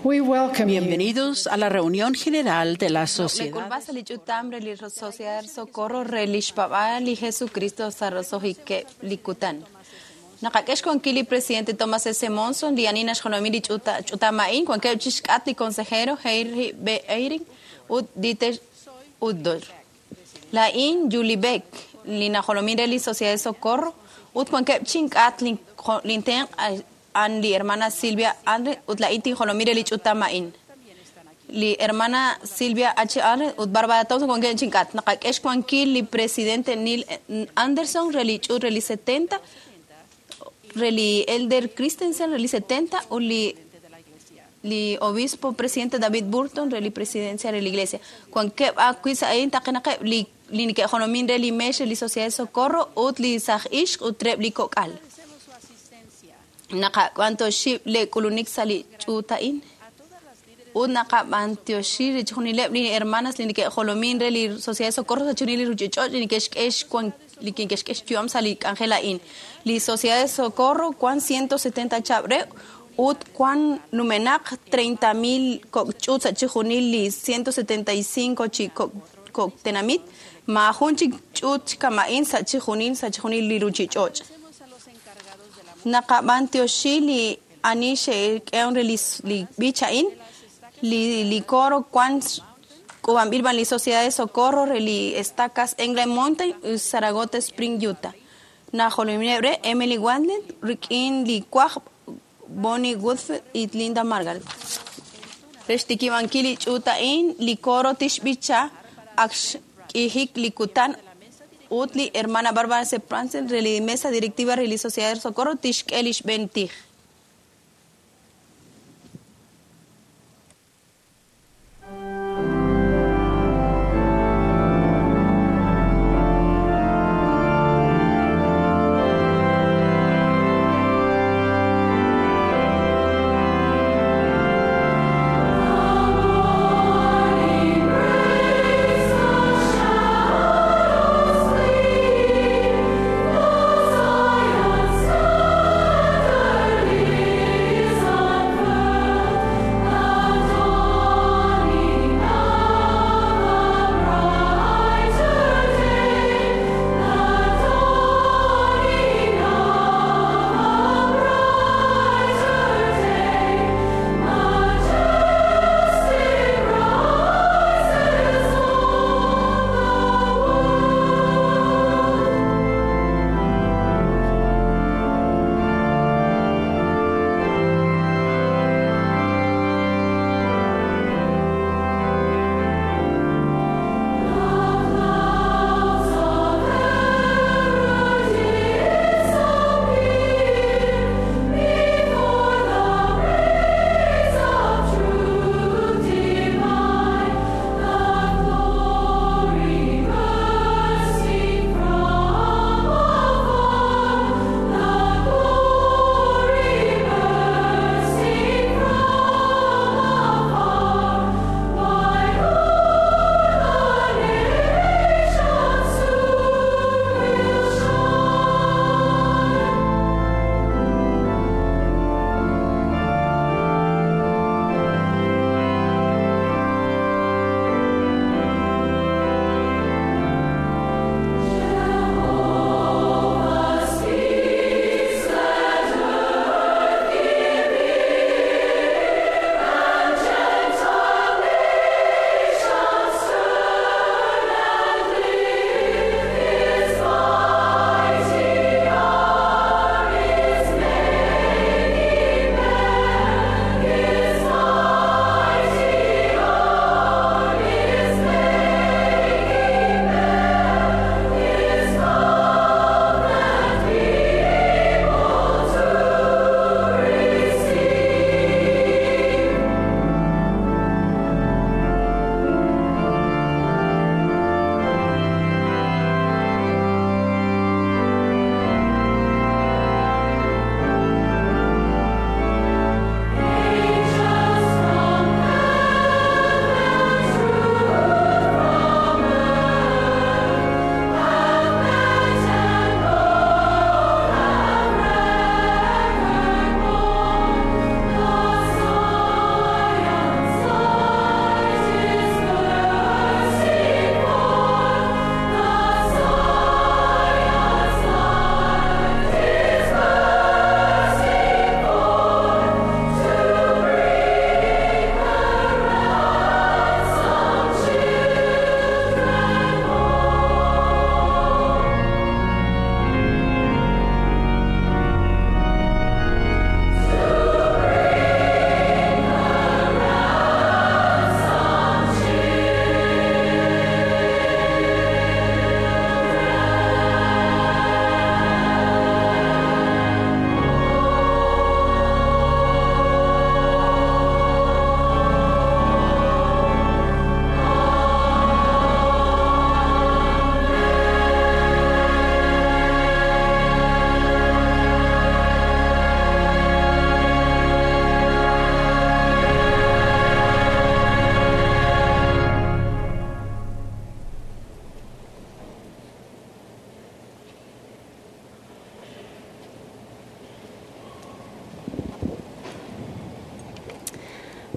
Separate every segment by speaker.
Speaker 1: We welcome you.
Speaker 2: Bienvenidos a la reunión general de la Sociedad.
Speaker 3: Lekulbasa li ch'utam re li Sociedad Socorro re lixpab'al li Jesucristo sa roso'jikeb' li kutan. Naqak'e xwankil li presidente Thomas S. Monson, li ani naxjolomi li ch'utam a'in, wankeb' chixk'at li consejero Henry B. Eyring ut Dieter Uchtdorf. La'in Julie Beck, li najolomin re li Sociedad Socorro, ut wankeb' chink'at lintenq' an li hermana Silvia Andre ut la'in tinjolomi re li ch'utam a'in. Li hermana Silvia H. Allen ut Barbara Thompson wankeb' chink'at. Naqak'e xwankil li presidente Neil Anderson re li ch'uut re li 70, re li Elder Christensen re li 70 ut li obispo presidente David Burton re li presidencia re li iglesia. Wankeb' ajwi' sa' a'in taqenaqeb' li neke'jolomin re li meex re li Sociedad Socorro ut li saj ixq ut reb' li kok'al. Naqab'antioxi le k'ulunik sa' li ch'uut a'in ut naqab'antioxi chixjunileb' li hermanas li neke'jolomin re li Sociedad Socorro sa' chixjunil li ruchich'och' li neke'xk'e xyu'am sa' li k'anjel a'in. Li Sociedad Socorro wan 170 chab' re ut wan numenaq 30,000 kok' ch'uut sa' chixjunil li 175 chi kok' tenamit, maajun chik ch'uut kama'in sa' chixjunil li ruchich'och'. Naqab'antioxi li ani xe'k'ehom re li b'ich a'in, li coro wan k'uub'anb'il b'an li Sociedad de Socorro re li Estacas England Mountain ut Saratoga Spring, Utah. Najolomineb' re Emily Wandler rik'in li wajb' Bonnie Woodfield y Linda Margal. Re xtikib'ankil li ch'uut a'in, li coro tixb'icha ak xk'ijik li kutan ut li hermana Barbara C. Pransen re li mesa directiva re li Sociedad de Socorro tixk'e li xb'een tij.
Speaker 4: Morning breaks the shadows leave, the silent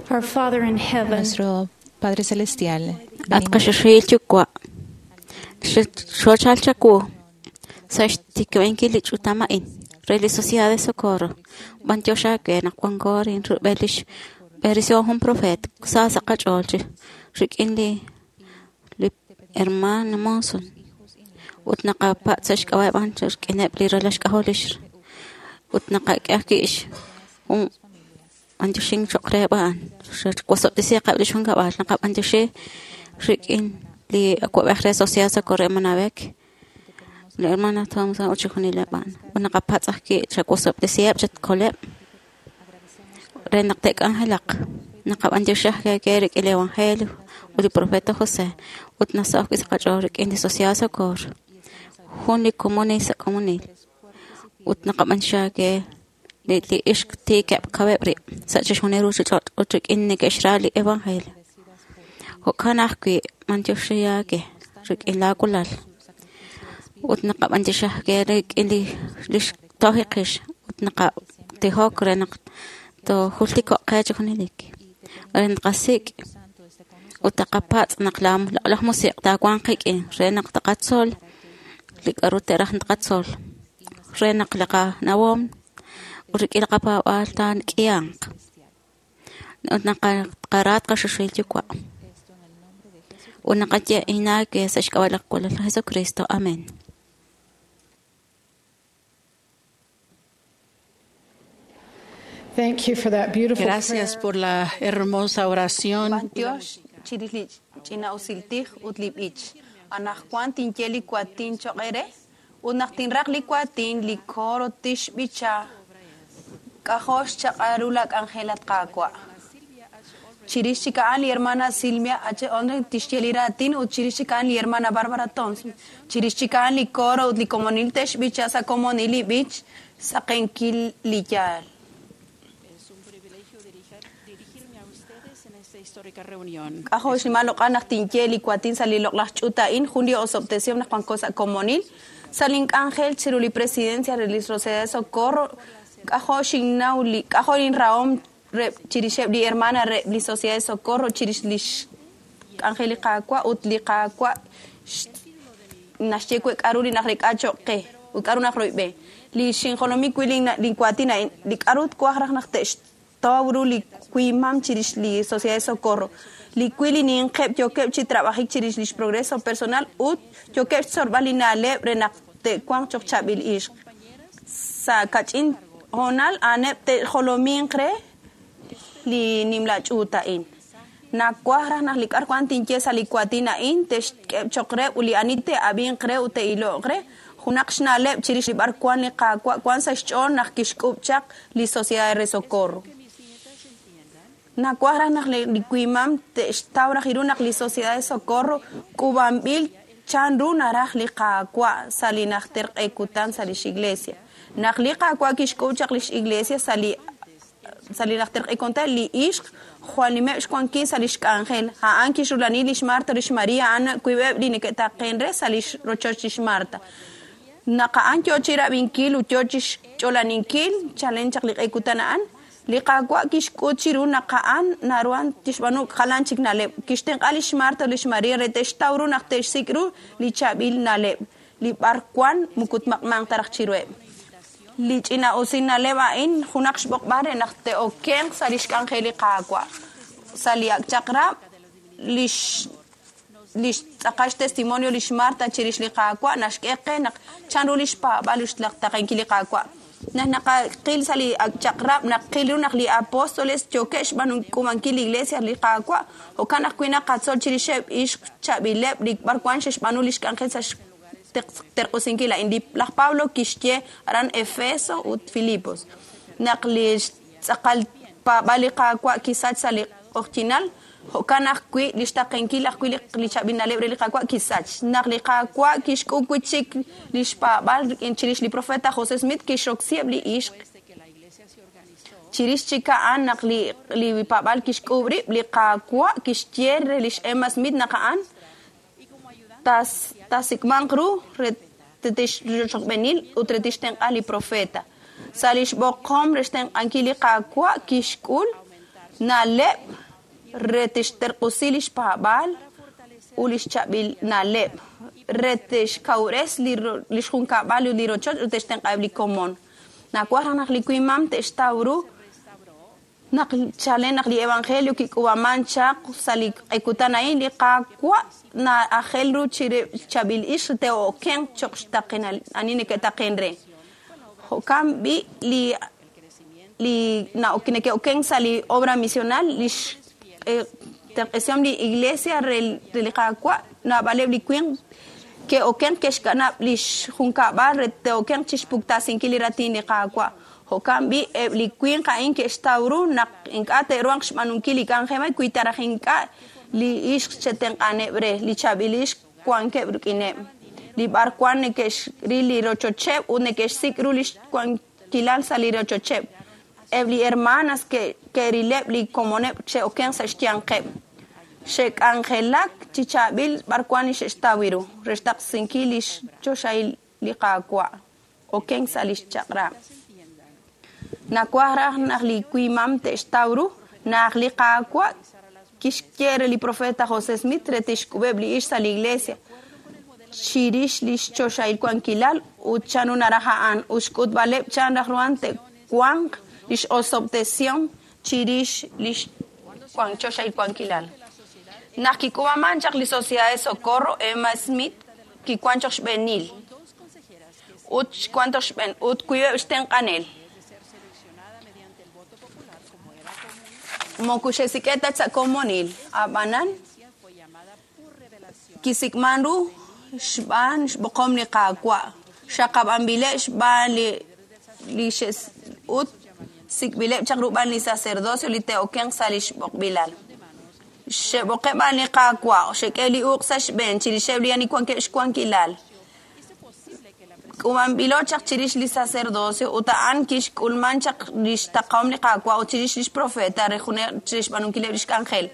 Speaker 1: Our Father in heaven,
Speaker 4: Nuestro Padre Celestial,
Speaker 5: At qaxaxil yuwa' xochal chaku sa xtikb'enki li ch'utama'in re li Sociedad de Socorro b'antiox aawe naq wanko rin rub'el lix b'eresihom jun profet sa sa' qach'ool chi rik'in li hermano Monson ut naqapatz' sa' xk'ab'a'eb' a'an rik'ineb' li ralal xk'ajol lix ut naqak'e ajwi' jun b'antioxink choq' reheb' a'an wasob'tesiiqeb' lix junkab'al naqab'antioxi rik'in li awa'b'ej re Sociedad Socorro Manabek li hermana Thompson ut chixjunileb' a'an ut naqapatz' ajwi' chawasob'tesiheb' chatkoleb' re naq te'k'anjelaq naqab'antioxi ajwi' rik'in li Evangelio ut li profeta José ut nasaho' ajwi' sa' qach'ool rik'in li Sociedad Socorro jun li komonil sa' komonil ut naqab'antioxi aawe li ixq tiikeb' kaweb' rib' sa' chixjunil ruchich'och' ut rik'in neke'xra li Evangelio jo'kan ajwi' b'antioxi aawe rik'in laawulal ut naqab'antioxi ajwi' rik'in lix tojiqix ut naqatijok re naq toojultiko'q qe chi junelik re naqasik' ut taqapatz' naq laj musiq' taawanq qik'in re naq taqatzol li k'a'ru te'raj taqatzol re naq li qanawom ut rik'in li qapaab'aal taak'ihanq ut naqara tqaxaxil yuwa' ut naqaye inaawe sa' xk'ab'a' li qawalal Jesucristo. Amén.
Speaker 1: thank you for that beautiful
Speaker 2: Gracias
Speaker 1: prayer.
Speaker 2: por la hermosa oración.
Speaker 3: B'antiox chirix li ch'ina'usiltij ut li b'ich. Anajwan tinye li kuatin choq' ere ut naq tinraq li kuatin li coro tixb'icha k'ajol xchaq'al ru la k'anjel at Qaawa'. Chirix chik a'an li hermana Silvia H. Ondre tixye li raatin ut chirix chik a'an li hermana Barbara Thompson. Chirix chik a'an li coro ut li komonil te'xb'icha sa' komonil li b'ich saqenkil li yaal.
Speaker 2: Es un privilegio dirigirme a ustedes en esta histórica reunión.
Speaker 3: K'ajol xnimal loq'al naq tinye li kuatin sa' li loq'laj ch'uut a'in jun li osob'tesihom naq wanko sa' komonil sa' link'anjel chiru li presidencia re li Sociedad de Socorro k'ajol xinnaw li k'ajol inrahom re chirixeb' li hermana re li Sociedad de Socorro chirix lix k'anjel li Qaawa' ut li Qaawa' naxye we k'a'ru li naq rek'a choq' qe ut k'a'ru naq royb'e li xinjolomi wi' linkuatin a'in li k'a'ru twaj raj naq te'xtaw ru li kuimam chirix li Sociedad de Socorro li wi' li ninqeb' yookeb' chi trabajik chirix lix progreso personal ut yookeb' xtzolb'al li na'leb' re naq te'wanq choq' chaab'il ixq sa' kach'in hoonal a'aneb' te'jolominq re li nimla ch'uut a'in nawaj raj naq li k'a'ru wan tinye sa' li kuatin a'in te'xk'eb' choq' re ut li ani te'ab'inq re ut te'ilo'q re junaq xna'leb' chirix li b'ar wan li Qaawa' wan sa' xch'ool naq kixk'ub' chaq li Sociedad de Socorro. Nawaj raj naq li kuimam te'xtaw raj ru naq li Sociedad de Socorro k'uub'anb'il chanru naraj li Qaawa' sa' li najter q'e kutan sa' lix iglesia. Naq li Qaawa' kixk'ub' chaq lix iglesia sa' li najter q'e kutan li ixq jwal nimeb' xwankil sa' lix k'anjel. A'an kixrulani lix Marta lix Maria a'an kuib'eb' li neke'taqen re sa' lix rochoch lix Marta. Naq a'an yoo chi rab'inkil ut yoo chi xch'olaninkil chalen chaq li q'e kutan a'an li Qaawa' kixk'ut chiru naq a'an naruhan tixb'aanu jalan chik na'leb'. Kixtenq'a lix Marta lix Maria re te'xtaw ru naq te'xsik' ru li chaab'il na'leb' li b'ar wan moko tmaq'manq ta raj chiruheb'. Li ch'ina'usil na'leb' a'in junaq xb'oqb'al re naq te'okenq sa' lix k'anjel li Qaawa'. Sa' li ak' chaq'rab' lix tz'aqal xtestimonio lix Marta chirix li Qaawa' naxk'e qe naq chanru lix paab'al ut xtaqenkil li Qaawa'. Naq naqaqil sa' li ak' chaq'rab' naqil ru naq li apóstoles yookeb' xb'aanunk'umankil li iglesia li Qaawa' jo'kan ajwi' naqatzol chirixeb' ixq chaab'ileb' li b'ar wan xe'xb'aanu lix k'anjel sa' xterq'usinkil a'in. Laj Pablo kixye aran Efeso ut Filipos naq li tz'aqal paab'al li Qaawa' kisach sa' li q'oqyinal jo'kan ajwi' li xtaqenkil ajwi' li chaab'il na'leb' re li Qaawa' kisach. Naq li Qaawa' kixk'ub' wi' chik li xpaab'al rik'in chirix li profeta José Smith kixroksiheb' li ixq. Chirix chik a'an naq li paab'al kixk'ub' rib' li Qaawa' kixye re lix Emma Smith naq a'an tasik'manq ru re tixrochb'eenil ut re tixtenq'a li profeta. Sa' lix b'oqom re xtenq'ankil li Qaawa' kixk'ul Na'leb' re tixterq'usi li xpaab'aal ut li xchaab'il na'leb' re tixkawres li xjunkab'al ut li rochoch ut textenq'aheb' li komon. Nawaj raj naq li wimam te'xtaw ru naq chalen naq li evangelio kik'uub'aman chaq sa' li q'ekutan a'in li Qaawa' na'ajel ru chaab'il ixq te'okenq cho'q xtaqenal ani neke'taqen re. Jo'kan b'i' li neke'okenk sa' li obra misional li xterq'esihom li iglesia re li Qaawa' naab'aleb' li winq ke'okenq ke'xkanab' li xjunkab'al re te'okenq chixpuktasinkil li raatin li Qaawa'. Jo'kan b'i' eb' li winq a'in ke'xtaw ru naq ink'a' te'ruhanq xb'aanunkil li k'anjel wi ta raj ink'a' li ixq che'tenq'aneb' re li chaab'il ixq wankeb' rik'ineb'. Li b'arwan neke'xril li rochocheb' ut neke'xsik' ru li xwankilal sa' li rochocheb'. Eb' li hermanas ke'rileb' li komoneb' che'okenq sa' xyanqeb'. Xe'k'anjelak chi chaab'il b'arwan li xe'xtaw ru re xtaqsinkil li xchoxahil li Qaawa' okenk sa' li xchaq'rab'. Nawaj raj naq li wimam te'xtaw ru naq li Qaawa' kixye re li profeta José Smith re tixk'ub'eb' li ixq sa' li iglesia chirix li xchoxahil wankilal ut chan ru naraj a'an ut xk'utb'aleb' chan raj ruhan te'wanq li x'osob'tesihom chirix li choxahil wankilal. Naq kik'uub'aman chaq li Sociedad de Socorro, Emma Smith kiwan choq xb'eenil ut xwan choq xb'een ut wiib'eb' xtenq'anel. Moko xe'sik'e ta sa' komonil, ab'anan kisik'man ru xb'aan xb'oqom li Qaawa', xaqab'anb'ileb' xb'aan li ut sik'b'ileb' chaq rub'an li sacerdocio li te'okenq sa' li xb'oqb'ilal. Xe'b'oqeb' b'an li Qaawa', xe'k'e li uq' sa' xb'een chirixeb' li ani wankeb' xwankilal. K'uub'anb'ilo chaq chirix li sacerdocio ut a'an kixk'ulman chaq li xtaqahom li Qaawa' ut chirix li xprofeta re chirix xb'aanunkileb' li xk'anjel.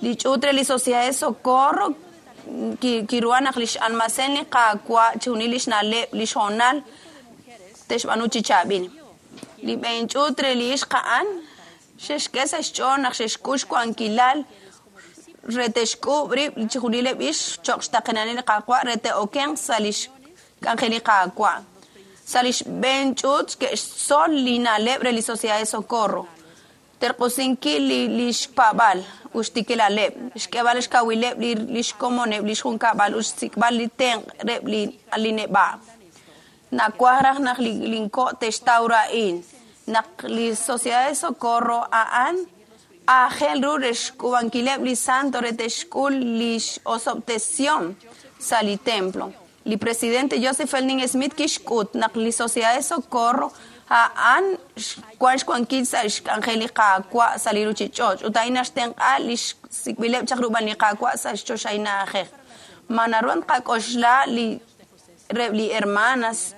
Speaker 3: Li ch'uut re li Sociedad de Socorro kiruhan naq li x'almacén li Qaawa' chixjunil li xna'leb' li xhoonal te'xb'aanu chi chaab'il. Li b'een ch'uut re li ixq a'an xe'xk'e sa' xch'ool naq xe'xk'ul xwankilal re te'xk'uub' rib' chixjunileb' ixq cho'q xtaqenalil li Qaawa' re te'okenq sa' li xk'anjel li Qaawa'. Sa' li xb'een ch'uut ke'xtzol li na'leb' re li Sociedad de Socorro. Terq'usinkil li xpaab'al ut xtikilaleb', xk'eeb'al xkawileb' li xkomoneb' li xjunkab'al ut xsik'b'al li tenq' reb' li neb'a'. Nawaj raj naq linko' te'xtaw ru a'in, naq li Sociedad de Socorro a'an aajel ru re xk'uub'ankileb' li santo re te'xk'ul li x'osob'tesihom sa' li templo. Li presidente Joseph Fielding Smith kixk'ut naq li Sociedad de Socorro a'an wan xwankil sa' xk'anjel li Qaawa' sa' li ruchich'och' ut a'in naxtenq'a li xsik'b'ileb' chaq rub'an li Qaawa' sa' xchoxahil na'ajej. Ma naru tqak'oxla li reb' li hermanas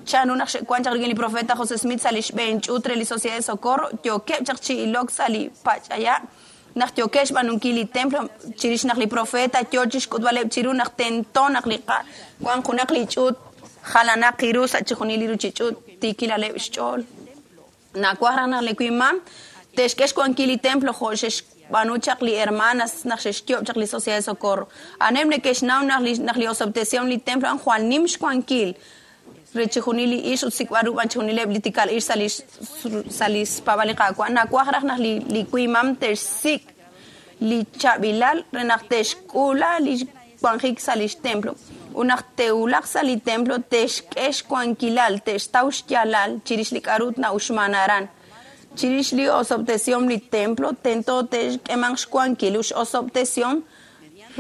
Speaker 3: chan ru naq xe'wan chaq rik'in li profeta José Smith sa' li xb'een ch'uut re li Sociedad de Socorro yookeb' chaq chi ilok sa' li pach'aya' naq yookeb' xb'aanunkil li templo chirix naq li profeta yoo chixk'utb'aleb' chiru naq tento naq li wan junaq li ch'uut jalanaq ru sa' chixjunil li ruchich'uut tiikilaleb' xch'ool. Nawaj raj naq li wimam te'xk'e xwankil li templo jo' xe'xb'aanu chaq li hermanas naq xe'xyoob' chaq li Sociedad de Socorro. A'aneb' neke'xnaw naq li osob'tesihom li templo a'an jwal nim xwankil re chixjunil li ixq ut sik'b'al ru b'an chixjunileb' li tikal ixq sa' li xpaab'al li Qaawa'. Nawaj raj naq li wimam te'xsik' li chaab'ilal re naq te'xk'uula li wanjik sa' li xtemplo. Ut naq te'wulaq sa' li templo te'xk'e xwankilal, te'xtaw xyaalal chirix li k'a'ru na'uxman aran. Chirix li osob'tesihom li templo tento te'xk'emanq xwankil ut x'osob'tesihom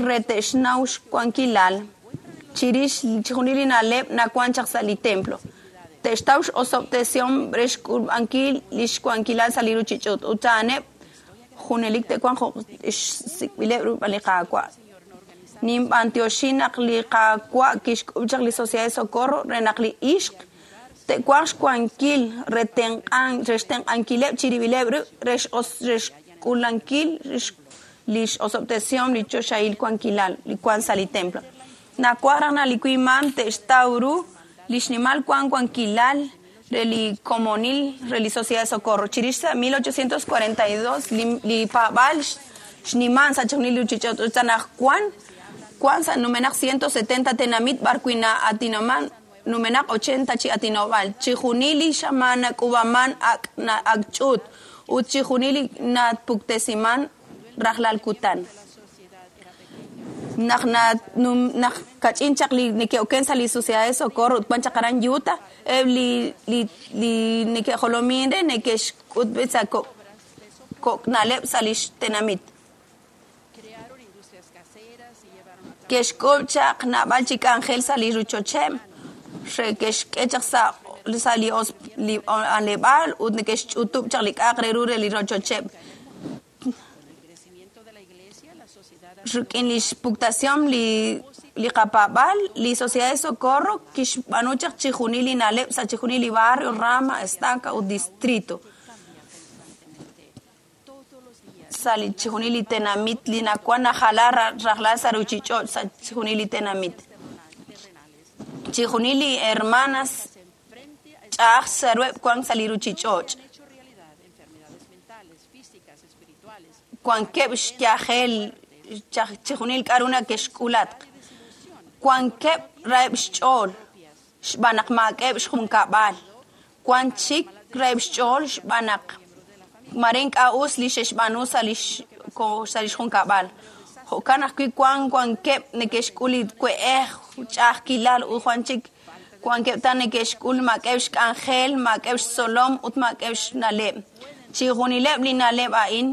Speaker 3: re te'xnaw xwankilal chirix chixjunil li na'leb' nawan chaq sa' li templo. Te'xtaw x'osob'tesihom re xk'ulb'ankil li xwankilal sa' li ruchich'och' ut a'aneb' junelik te'wanq jo' xsik'b'ileb' ru li Qaawa'. Ninb'antioxi naq li Qaawa' kixk'ub' chaq li Sociedad de Socorro re naq li ixq te'wanq xwankil re xtenq'ankileb' chirib'ileb' rib' re xk'ulankil li x'osob'tesihom li choxahil wankilal li wan sa' li templo. Nawaj raj naq li wimam te'xtaw ru li xnimal wan wankilal re li komonil re li Sociedad de Socorro. Chirix sa 1842 li paab'al xniman sa chijunil li ruchich'och' ut sa anaqwan wan sa numenaq 170 tenamit b'ar wi' na'atinoman numenaq 80 chi atinob'al. Chijunil li xamaan nak'uub'aman ak' ak' ch'uut ut chijunil li napuktesiman rajlal kutan. Naq naq kach'in chaq li neke'oken sa li Sociedad de Socorro ut wan chaq aran Utah, eb' li li li neke'jolomin re neke'xk'utb'e sa kok' na'leb' sa lix tenamit. Ke'xk'uub' chaq naab'al chi k'anjel sa li rochocheb' re ke'xk'e chaq sa li li b'anleb'aal ut neke'xch'utub' chaq li k'a'aq re ru re li rochocheb'. Rik'in li xpuktación li qapaab'al, li Sociedad de Socorro kixb'aanu chaq chijunil li na'leb' sa chijunil li barrio, rama, estaca ut distrito. Sa li chijunil li tenamit li nawan najala rajlal sa ruchich'och' sa chijunil li tenamit. Chijunil li hermanas ch'a'aj sarueb' wan sa li ruchich'och'. Wankeb' xyajel chijunil k'a'ru nake'xk'ulatq. Wankeb' raheb' xch'ool xb'aan naq maak'eb' xjunkab'al. Wan chik raheb' xch'ool xb'aan naq mare ink'a' us li xe'xb'aanu sa lix junkab'al. Jo'kan ajwi' wan wankeb' neke'xk'ul li we'ej, ch'a'ajkilal ut wan chik wankeb' ta neke'xk'ul maak'eb' xk'anjel, maak'eb' xtzolom ut maak'eb' xna'leb'. Chijunileb' li na'leb' a'in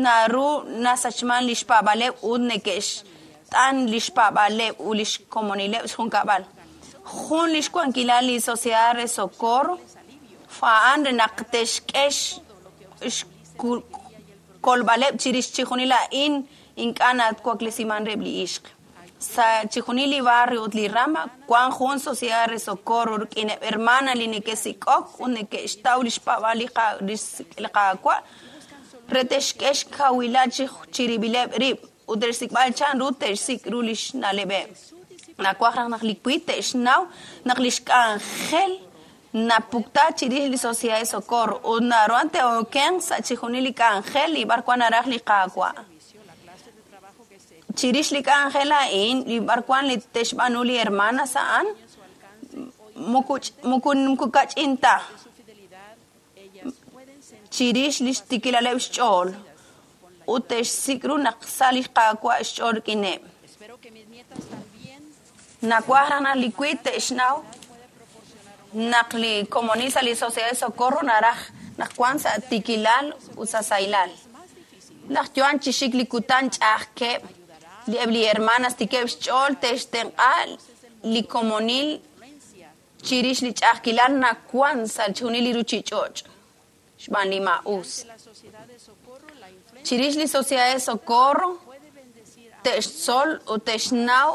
Speaker 3: naru nasachman li xpaab'aleb' ut neke'xt'an li xpaab'aleb' ut li xkomonileb' xjunkab'al. Jun li xwankilal li Sociedad de Socorro a'an re naq te'xk'e xkolb'aleb' chirix chijunil a'in ink'a' nawaklesiman reheb' li ixq. Sa chijunil li barrio ut li rama wan jun Sociedad de Socorro rik'ineb' hermana li neke'sik'ok ut neke'xtaw li xpaab'al li Qaawa' re te'xk'e xkawilal chirib'ileb' rib' ut te'xsik'b'al chan ru te'xsik' ru li xna'leb'eb'. Nawaj raj naq li wi te'xnaw naq li xk'anjel napukta chirix li Sociedad de Socorro ut naruhan te'okenq sa chijunil li k'anjel li b'ar wan naraj li Qaawa'. Chirix li k'anjel a'in li b'ar wan li te'xb'aanu li hermanas a'an muku kach'in ta chirix li xtikilaleb' xch'ool ut te'xsik' ru naq sa li Qaawa' xch'ool rik'ineb'. Nawaj raj naq li wi te'xnaw naq li komonil sa li Sociedad de Socorro naraj naq wan sa tikilal ut sa sahilal. Naq yo'an chi xik li kutan ch'a'ajkeb' li eb' li hermanas tikeb' xch'ool te'xtenq'a li komonil chirix li ch'a'ajkilal nawan sa chijunil li ruchich'och' xb'aan li ma'us. Chirix li Sociedad de Socorro te'xtzol ut te'xnaw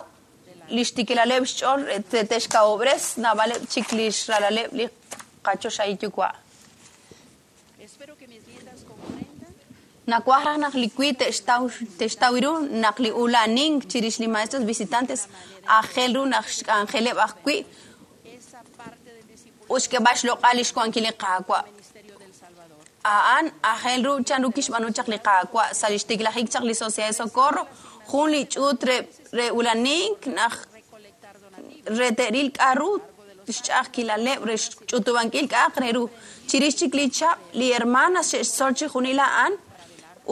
Speaker 3: li xtikilaleb' xch'ool te'xkawob'res naab'aleb' chik li xralaleb' li qachoxahil yuwa'. Nawaj raj naq li wi te'xtaw ru naq li ulanink chirix li maestros visitantes aajel ru naq xk'anjeleb' ajwi' ut xk'eb'al xloq'al li xwankil li Qaawa'. A'an aajel ru chan ru kixb'aanu chaq li Qaawa' sa li xtiklajik chaq li Sociedad de Socorro jun li ch'uut re ulanink naq re te'ril k'a'ru xch'a'ajkilaleb' re xch'utub'ankil k'a'aq re ru. Chirix chik li chab' li hermanas xe'xtzol chijunil a'an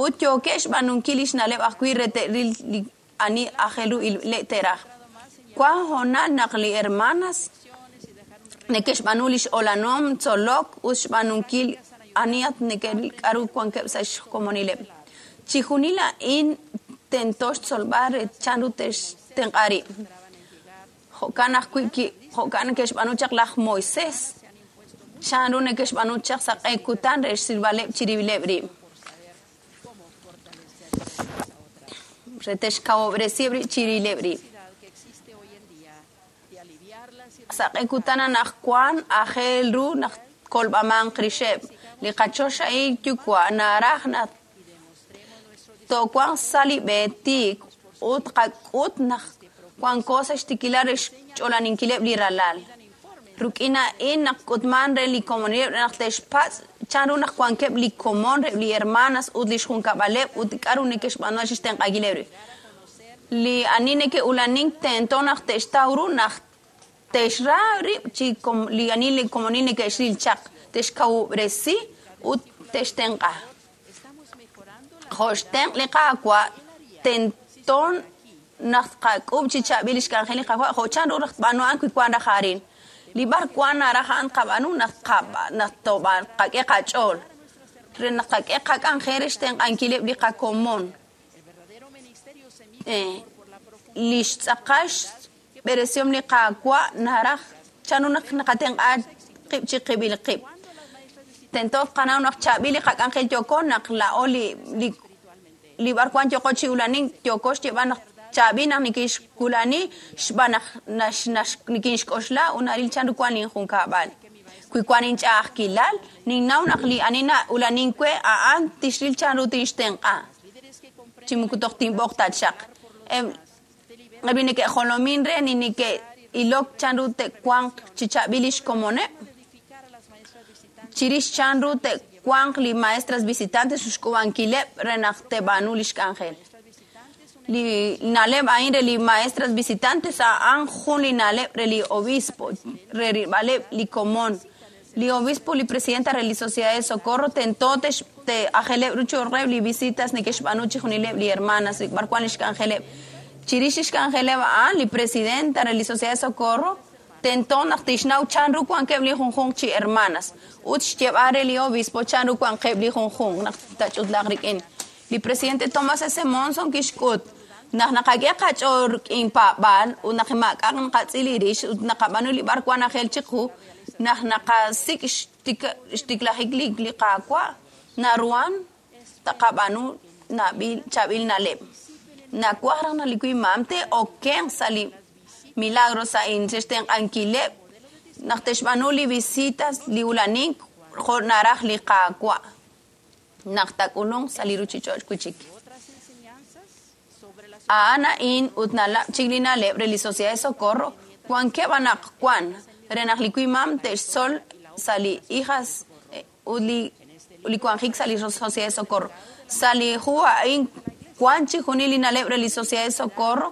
Speaker 3: ut yookeb' xb'aanunkil li xna'leb' ajwi' re te'ril li ani aajel ru te'raj. Wan hoonal naq li hermanas neke'xb'aanu li x'olanom tzolok ut xb'aanunkil anihat neke'ril k'a'ru wankeb' sa' xkomonileb'. Chijunil a'in tento xtzolb'al re chan ru te'xtenq'a rib'. Jo'kan ajwi' jo'kan neke'xb'aanu chaq laj Moisés chan ru neke'xb'aanu chaq sa' q'e kutan re xsilb'aleb' chirib'ileb' rib'. Re te'xkawob'resiheb' rib' chirib'ileb' rib'. Sa' q'e kutan anaqwan aajel ru naq kolb'amanq rixeb'. Li qachoxahil yuwa' naraj naq towanq sa li b'e tiik ut qak'ut naq wanko sa xtikilal re xch'olaninkileb' li ralal. Rik'in a'in naq k'utman re li komonileb' naq te'xpatz' chanru naq wankeb' li komon reb' li hermanas ut li xjunkab'aleb' ut k'aru neke'xb'aanu chixtenq'ankileb' rib'. Li ani neke'ulanink tento naq te'xtaw ru naq te'xra rib' chi li ani li komonil neke'xril chaq, te'xkawub'resi ut te'xtenq'a. Jo' xtenq' li Qaawa' tento naq tqak'ub' chi chaab'il li xk'anjel li Qaawa' jo' chanru raj tb'aanu a'an wi wan raj arin. Li b'ar wan naraj a'an tqab'aanu naq tqak'e qach'ool re naq tqak'e qak'anjel re xtenq'ankileb' li qakomon. Li xtz'aqal xb'eresihom li Qaawa' naraj chanru naq naqatenq'a qib' chi qib'il qib'. Tento tqanaw naq chaab'il li qak'anjel yooko naq laa'o li b'ar wan yooko chi ulanink yooko xyeeb'al naq chaab'il naq nikinxkulani xb'aan naq nikinxk'oxla ut naril chanru wan linjunkab'al. Wi wan inch'a'ajkilal, ninnaw naq li ani na'ulanink we a'an tixril chanru tinxtenq'a. Chi moko toj tinb'oq ta chaq. Eb' li neke'jolomin re ni neke'ilok chanru te'wanq chi chaab'il li xkomoneb'. Chirix chanru te'wanq li maestras visitantes xk'ub'ankileb' re naq te'b'aanu li xk'anjel. Li na'leb' a'in re li maestras visitantes a'an jun li na'leb' re li obispo, re rilb'aleb' li komon. Li obispo, li presidenta re li Sociedad de Socorro tento te'ajeleb' ru cho'q li visitas neke'xb'aanu chijunileb' li hermanas b'ar wan li xk'anjeleb'. Chirix li xk'anjeleb' a'an, li presidenta re li Sociedad de Socorro tento naq tixnaw chanru wankeb' li junjunq chi hermanas ut xyeeb'al re li obispo chanru wankeb' li junjunq naq tach'utlaaq rik'in. Li presidente Thomas S. Monson kixk'ut naq naqak'e qach'ool rik'in paab'aal ut naq maak'a'aq naqatz'il rix ut naqab'aanu li b'ar wan ajel chiqu naq naqasik' xtiklajik li Qaawa' naruhan taqab'aanu chaab'il na'leb'. Nawaj raj naq li wimam te'okenq sa' li milagros a'in xtenq'ankileb' naq te'xb'aanu li visitas li ulanink jo' naraj li Qaawa' naq tak'ulunq sa' li ruchich'och' wi' chik. A'an a'in ut nalab' chik li na'leb' re li Sociedad de Socorro wankeb' anaqwan re naq li wimam te'xtzol sa' li hijas ut li wanjik sa' li Sociedad de Socorro. Sa' li hu a'in wan chijunil li na'leb' re li Sociedad de Socorro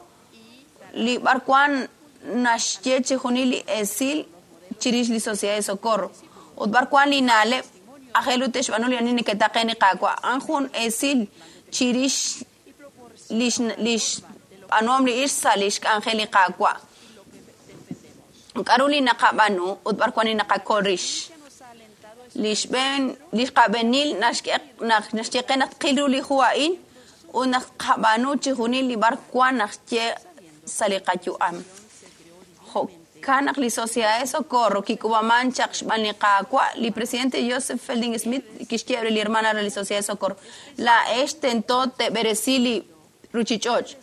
Speaker 3: li b'ar wan naxye chijunil li esil chirix li Sociedad de Socorro ut b'ar wan li na'leb' ajel ut te'xb'aanu li ani neke'taqen li Qaawa'. A'an jun esil chirix li xb'aanuhom li ixq sa' li xk'anjel li Qaawa'. K'aru li naqab'aanu ut b'ar wan li naqakol rix. Li xqab'eenil naxye qe naq tqil ru li hu a'in ut naq tqab'aanu chijunil li b'ar wan naxye sa' li qayu'am. Jo'kan naq li Sociedad de Socorro kik'ub'aman chaq xb'aan li Qaawa', li presidente Joseph Fielding Smith kixye re li hermana re li Sociedad de Socorro, laa'ex tento te'b'eresi li ruchich'och'.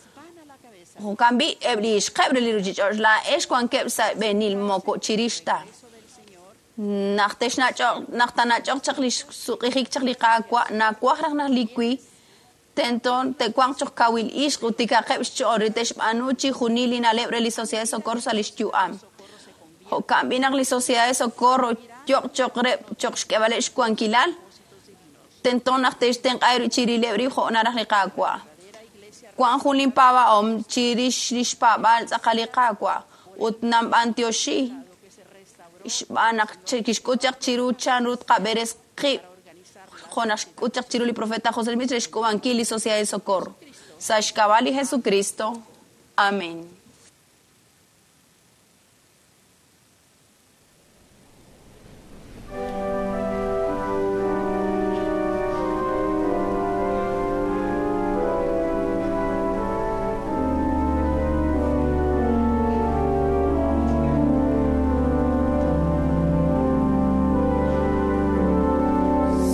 Speaker 3: Jo'kan b'i' eb' li ixqeb' re li ruchich'och' laa'ex wankeb' sa' b'eenil moko chirix ta. Naq tanach'oq chaq li xsuq'ijik chaq li Qaawa' nawaj raj naq li wi tento te'wanq choq kawil ixq ut tikaqeb' xch'ool re te'xb'aanu chijunil li na'leb' re li Sociedad de Socorro sa' li xyu'am. Jo'kan b'i' naq li Sociedad de Socorro yoq choq reb' choq xk'eb'aleb' xwankilal tento naq te'xtenq'a chirileb' rib' jo' naraj li Qaawa'. Wan jun linpaab'ahom chirix li xpaab'aal tz'aqal li Qaawa' ut nanb'antioxi xb'aan naq kixk'ut chaq chiru chanru tqab'eres qib' jo' naq xk'ut chaq chiru li profeta José Smith re xk'ub'ankil li Sociedad de Socorro. Sa' xk'ab'a' li Jesucristo. Amén.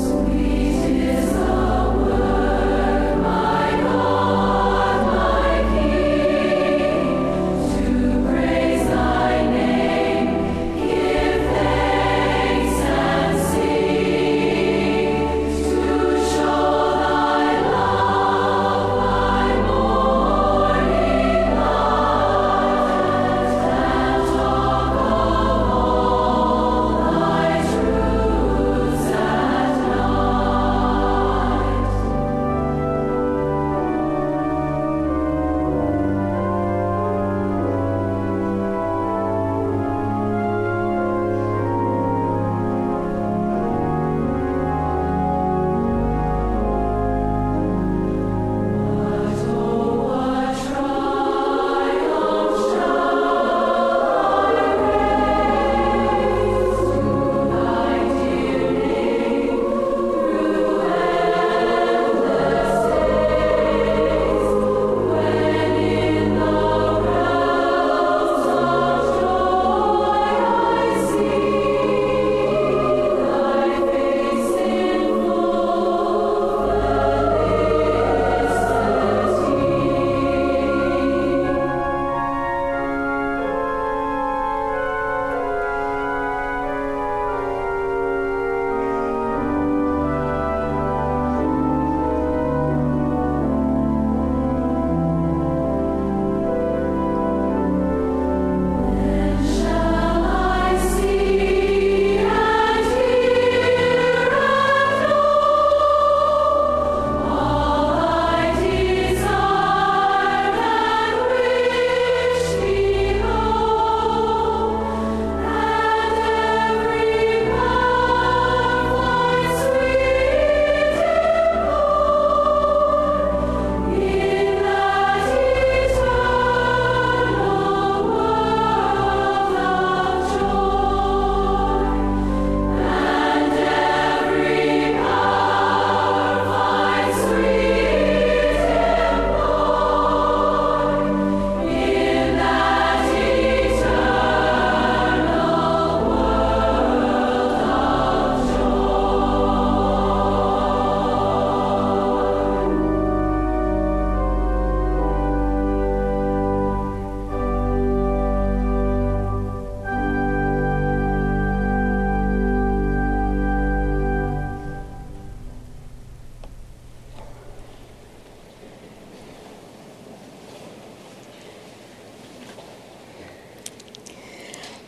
Speaker 6: Sweet is the word, my God, my King.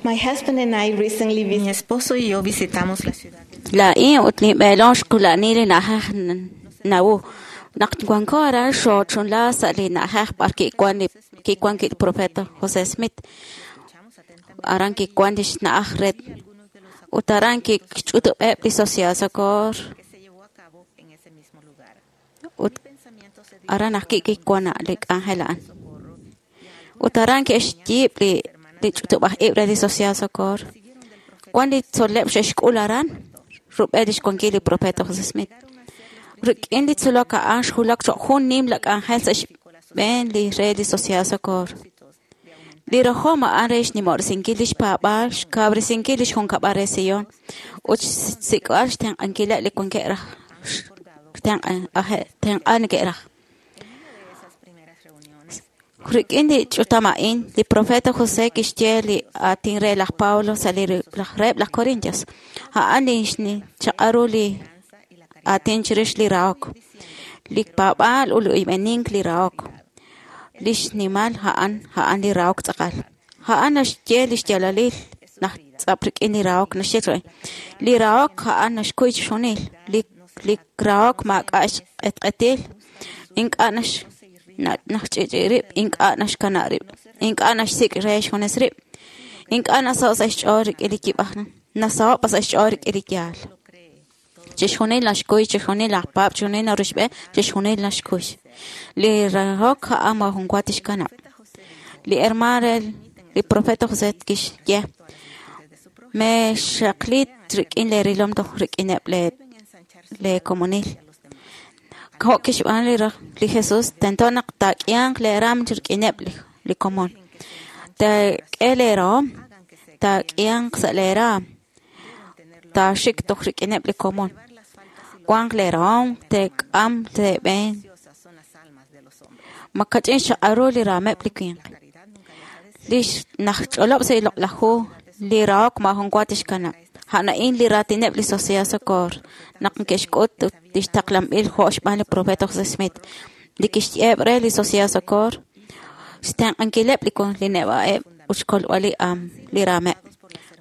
Speaker 7: My husband and I recently
Speaker 4: Mi
Speaker 7: visited
Speaker 4: esposo y yo visitamos la ciudad.
Speaker 5: Laa'in ut linb'eelom xqula'ani li na'ajej Nauvoo. Naq wanko aran xoochunla sa' li na'ajej b'ar kiwan li kiwan ki profeta José Smith. Aran kiwan lix na'aj re ut aran kixch'utub'eb' li Sociedad Socorro
Speaker 4: que se llevó a cabo en ese mismo lugar.
Speaker 5: ut
Speaker 4: Pensamiento se
Speaker 5: aran ajwi' kiwan li k'anjel a'an. Ut aran ke'xyiib' li li ch'utub'aj ib' re li Sociedad Socorro. Wan li tzol'leb' xe'xk'ul aran rub'el lix wankil li profeta José Smith. Rik'in li tzolok a'an xjulak choq' jun nimla k'anjel sa' xb'een li re li Sociedad Socorro. Li rajom a'an re xnimob'resinkil lix paab'aal, xkawresinkil lix junkab'al re Sion, ut xsik'b'al xtenq'ankileb' li wankeb' raj tenq'aal neke'raj.
Speaker 4: esas primeras reuniones
Speaker 5: Rik'in li ch'utam a'in, li profeta José kixye li aatin re laj Pablo sa' li laj reheb' laj Corintios. A'an li xchaq'al ru li aatin chirix li rahok, li paab'aal ut li oyb'enink li rahok. Li xnimal a'an a'an li rahok tz'aqal. A'an naxye li xyaalalil naj tz'ap rik'in li rahok naxye chaq. Li rahok a'an naxkuy chixjunil. Li li rahok maak'a' xq'etq'etil, ink'a' nax naxch'i'ch'i rib', ink'a' naxkana' rib', ink'a' naxsik' re xjunes rib', ink'a' nasaho' sa' xch'ool rik'in li yib'aj, nasaho' pa sa' xch'ool rik'in li yaal. Chixjunil naxkuy, chixjunil laj paab', chixjunil naruxb'e, chixjunil naxkuy. Li rahok a'an maajun wa tixkanab'. Li hermano re li profeta José kixye, mexaqli rik'in le rilom toj rik'ineb' le le komonil. Jo' kixb'aan li li Jesús tento naq taak'ihanq leeraam rik'ineb' li komon. Taak'e leerahom, taak'ihanq sa' leeraam, taaxik toj rik'ineb' li komon. Wanq leerahom, teek'am teeb'een.
Speaker 4: preciosas son las almas de los hombres.
Speaker 5: Makach'in xchaq'al ru li raameb' li winq. Li najch'olob' sa' li loq'laj hu, li rahok maajun wa tixkanab'. A'an a'in li raatineb' li Sociedad Socorro naq neke'xk'ut ut lix taqlanb'il jo' xb'aan li profeta José Smith. Li kixye'eb' re li Sociedad Socorro, xtenq'ankileb' li li neb'a'eb' ut xkolb'al li am li raameb'.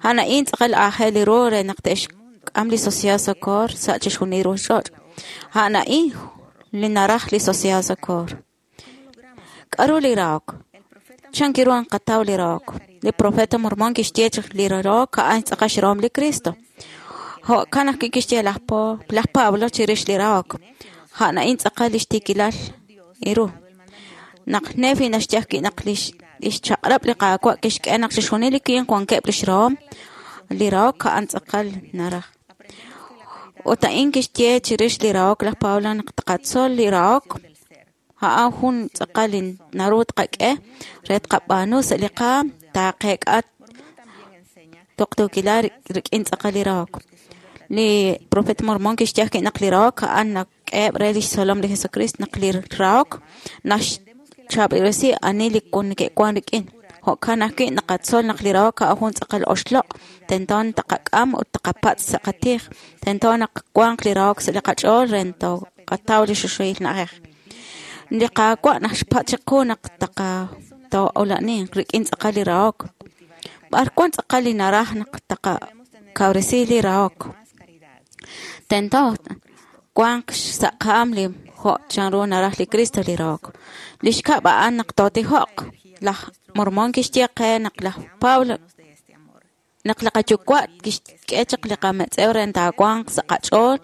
Speaker 5: A'an a'in tz'aqal aajel li ru re naq te'xk'am li Sociedad Socorro sa' chixjunil ruchich'och'. A'an a'in li naraj li Sociedad Socorro. K'aru li rahok? Chan kiru nqataw li rahok? Li profeta Mormón kixye chaq li rahok a'an tz'aqal xrahom li Cristo. Jo'kan ajwi' kixye laj laj Pablo chirix li rahok. A'an a'in tz'aqal lix tiikilal iru. Naq Nefi naxye ajwi' naq lix chaq'rab' li Qaawa' kixk'e naq chixjunil li winq wankeb' lix rahom, li rahok a'an tz'aqal naraj. Ut a'in kixye chirix li rahok laj Pablo naq taqatzol li rahok a'an jun tz'aqal li naru tqak'e re tqab'aanu sa' li qaam taaqeek'a tuqtuukilal rik'in tz'aqal li rahok. Li profeta Mormón kixye ajwi' naq li rahok a'an nak'eheb' re lix tzolom li Jesucristo naq li rahok naxchaab'ilresi ani li neke'wan rik'in. Jo'kan ajwi' naqatzol naq li rahok a'an jun tz'aqal oxloq', tento taqak'am ut taqapatz' sa' qatij, tento naq wanq li rahok sa' li qach'ool re toqataw li xuxuhil na'ajej. Li Qaawa' naxpatz' chiqu naq taqato'ola'ninq rik'in tz'aqal li rahok. B'ar wan tz'aqal li naraj naq taqakawresi li rahok. Tento wanq sa' qaam li jo' chanru naraj li Cristo li rahok. Li xkab' a'an naq tootijoq. Laj Mormón kixye qe naq laj Pablo naq li qayuwa' kixk'e chaq li qametz'ew re taawanq sa' qach'ool,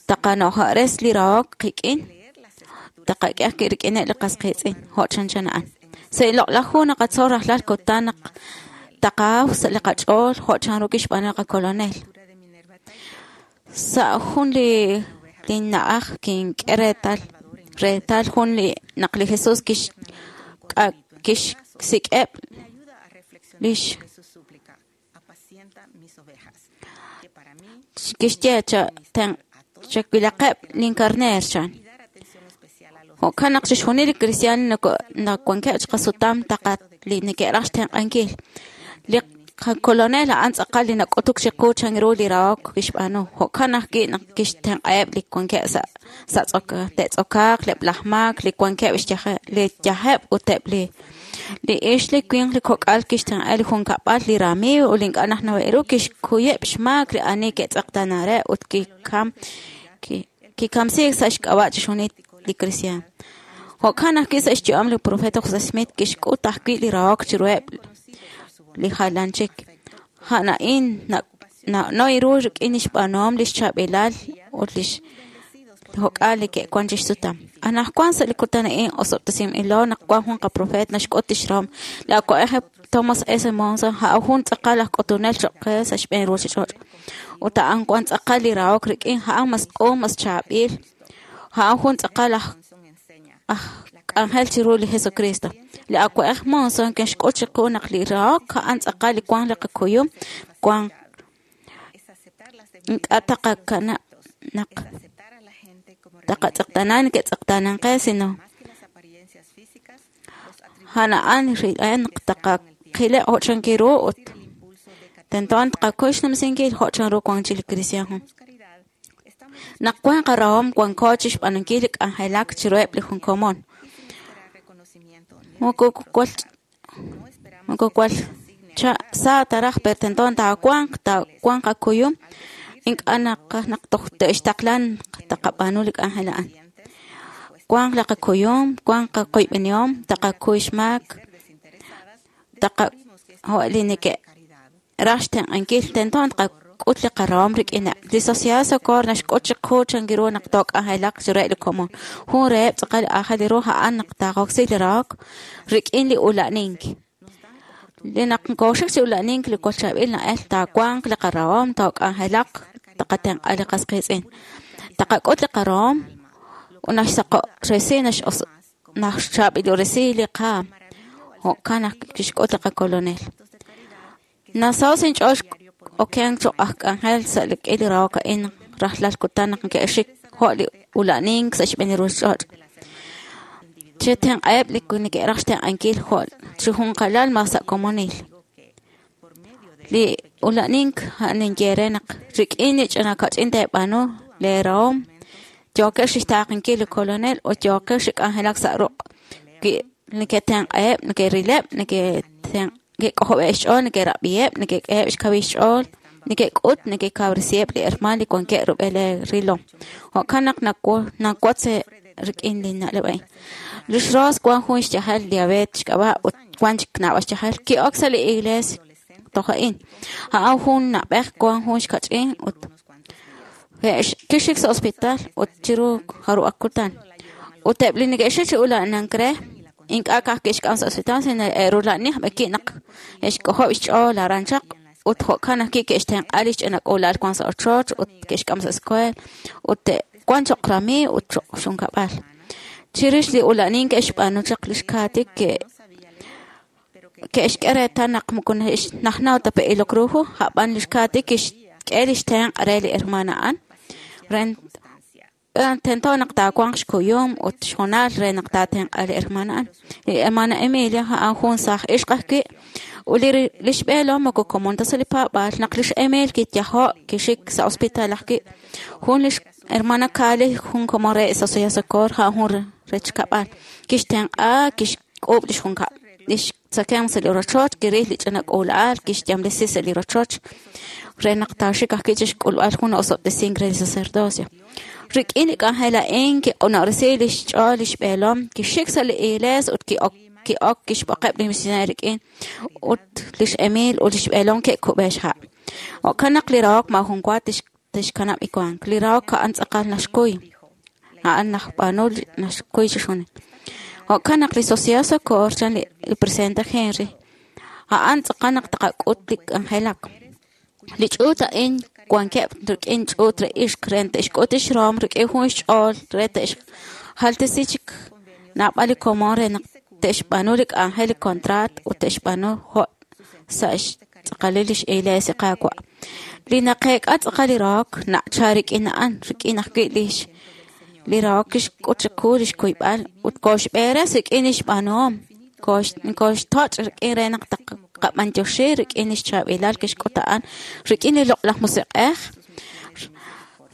Speaker 5: taqano'jores li rahok qik'in, taqak'e ajwi' rik'ineb' li qas qiitz'in, jo' chanchan a'an. Sa' li loq'laj hu naqatzol rajlal kutan naq taqaaw sa' li qach'ool jo' chanru kixb'aanu li qakolonel. Sa' jun li na'aj kink'e reetal reetal jun li naq li Jesús kixsik'eb'
Speaker 4: Me ayuda a reflexionar
Speaker 5: lix
Speaker 4: sobre su súplica. Apacienta mis ovejas. Que para mí
Speaker 5: kixye chawilaqeb' linkarneer chan.
Speaker 4: y dar atención especial a los
Speaker 5: Jo'kan naq chixjunil li cristiano nawankeb' chiqasutam taqat li neke'raj xtenq'ankil. Li qakolonel a'an tz'aqal li nak'utuk chiqu chan ru li rahok kixb'aanu. Jo'kan ajwi' naq kixtenq'aheb' li wankeb' sa' te'tz'okaaq, eb' laj maak, li wankeb' li yajeb' ut eb' li Li ixq, li winq, li kok'al kixtenq'a li junkab'al, li ramiiw ut li ink'a' najnaweb' ru, kixkuyeb' xmaak li ani ke'tz'eqtaana re ut kikamsiik sa' xk'ab'a' chixjunil li kristiaan. Jo'kan ajwi' sa' xyu'am li profeta José Smith kixk'ut ajwi' li rahok chiruheb' li jalan chik. A'an a'in na'no ru rik'in lix b'aanuhom, lix chaab'ilal ut lix jok'al li ke'wan chixsutam. Anaqwan sa' li kutan a'in osob'tesinb'ilo naq wan jun qaprofeet naxk'ut lix rahom. Li awa'b'ej Thomas S. Monson a'an jun tz'aqal aj k'utunel cho'q qe sa' xb'een ruchich'och'. Ut a'an wan tz'aqal li rahok rik'in, a'an mas q'un, mas chaab'il. A'an jun tz'aqal aj k'anjel chiru li Jesucristo. Li awa'b'ej Monson kixk'ut chiqu naq li rahok a'an tz'aqal li wan li qakuyum, wan ink'a' taqakanab' naq taqatz'eqtaana neke'tz'eqtaanan qe, sino a'an a'an rilb'al naq taqaqileb' jo' chanki ru ut tento taqakuy xnumsinkil jo' chanru wan chik li kristiaan. Naq wan qarahom wanko chixb'aanunkil li k'anjelak chiruheb' li jun komon. Moko wal sa taraj pero tento taawanq taawanq qakuyum ink'a' naqaj naq toj te'xtaqlan taqab'aanu li k'anjel a'an. Wanq li qakuyum, wanq qakoyb'enihom, taqakuy xmaak, jo' li neke'raj xtenq'ankil, tento taqak'ut li qarahom rik'ineb'. Li Sociedad Socorro naxk'ut chiqu chanki ru naq took'anjelaq chiruheb' li komon. Jun reheb' tz'aqal aajel ru a'an naq taqoksi li rahok rik'in li ula'nink. Li naq nkoxik chi ula'nink li wal chaab'il na'el taawanq li qarahom, took'anjelaq, taqatenq'a li qas qiitz'in. Taqak'ut li qarahom ut naxsaqo'resi, naxchaab'iloresi li qaam. Jo'kan naq kixk'ut li qakolonel. Nasaho' sa' inch'ool okenk cho'q aj k'anjel sa' li k'il rahok a'in rajlal kutan naq neke'xik jo' li ula'nink sa' xb'een li ruchich'och'. Chetenq'aheb' li neke'raj xtenq'ankil jo' chi junqalal mas sa' komonil. Li ula'nink a'an ninye re naq rik'in li ch'ina kach'in teeb'aanu lee rahom yookex chixtaaqenkil li kolonel ut yookex chi k'anjelak sa' ruq'. Wi neke'tenq'aheb', neke'rileb', neke'k'ojob'eb' xch'ool, neke'rab'iheb', neke'k'eheb' xkawil xch'ool, neke'k'ut, neke'kawresiheb' li hermaan li wankeb' rub'el rilom. Jo'kan naq nawotz rik'in li na'leb' a'in. Lix Rose wan jun xyajel diabetes xk'ab'a' ut wan chik naab'al xyajel. Ki'ok sa' li iglees toj a'in. A'an jun na'b'ej wan jun xkach'in ut kixik sa' hospital ut chiru jarub'aq kutan. Ut eb' li neke'xik chi ula'nank re ink'a' ka'aj ke'xk'am sa' hospital sino e'rula'ni b'eki naq e'xk'ojob' xch'ool aran chaq ut jo'kan ajwi' ke'xtenq'a li xch'ina k'uula'al wan sa' ochoch ut ke'xk'am sa' escuela ut wan cho'q ramiiw ut cho'q xunkab'al. Chirix li ula'nink ke'xb'aanu chaq lix Kathy ke'xk'e reetal naq moko najnaw ta pe ilok ru hu, a'b'an lix Kathy kixk'e lix tenq' re li hermana a'an. Tento naq taawanq xkuyum ut xhoonal re naq taatenq'a li hermana a'an. Li hermana Emilia a'an jun saaj ixq ajwi' ut lix b'eelom moko komon ta sa' li paab'aal. Naq lix Emil kiyajo' kixik sa' hospital ajwi'. Jun lix hermana Kali jun komon re Sociedad Socorro a'an jun rechkab'al. Kixtenq'a, kixk'uub' lix junkab', lix tzakemq sa' li rochoch, kiril li ch'ina k'uula'al, kixyamlesi sa' li rochoch re naq taaxik ajwi' chixk'ulb'al jun osob'tesink re li sacerdocio. Rik'in li k'anjel a'in kiq'uno'resi lix ch'ool lix b'eelom, kixik sa' li iglees ut ki'ok kixb'oqeb' li misioneer rik'in ut lix Emil ut lix b'eelom ke'kub'e xha'. Jo'kan naq li rahok maajun wa tixkanab' iwank. Li rahok a'an tz'aqal naxkuy. A'an najb'aanu naxkuy chixjunil. Jo'kan naq li Sociedad Socorro chan li presidente Henry, a'an tz'aqal naq taqak'ut li k'anjelak. Li ch'uut a'in wankeb' rik'in ch'uut re ixq re te'xk'ut lix rahom rik'in jun xch'ool re te'xjaltesi chik naab'al li komon re naq te'xb'aanu li k'anjel li contrat ut te'xb'aanu jo' sa' xtz'aqalil lix iglesia Qaawa'. Li naqeek'a tz'aqal li rahok na'cha rik'in a'an, rik'in ajwi' li rahok kixk'ut chiqu lix kuyb'al ut koxb'eres rik'in lix b'aanuhom, koxtoch' rik'in re naq taqab'antioxi rik'in lix chaab'ilal kixk'ut a'an, rik'in li loq'laj musiq'ej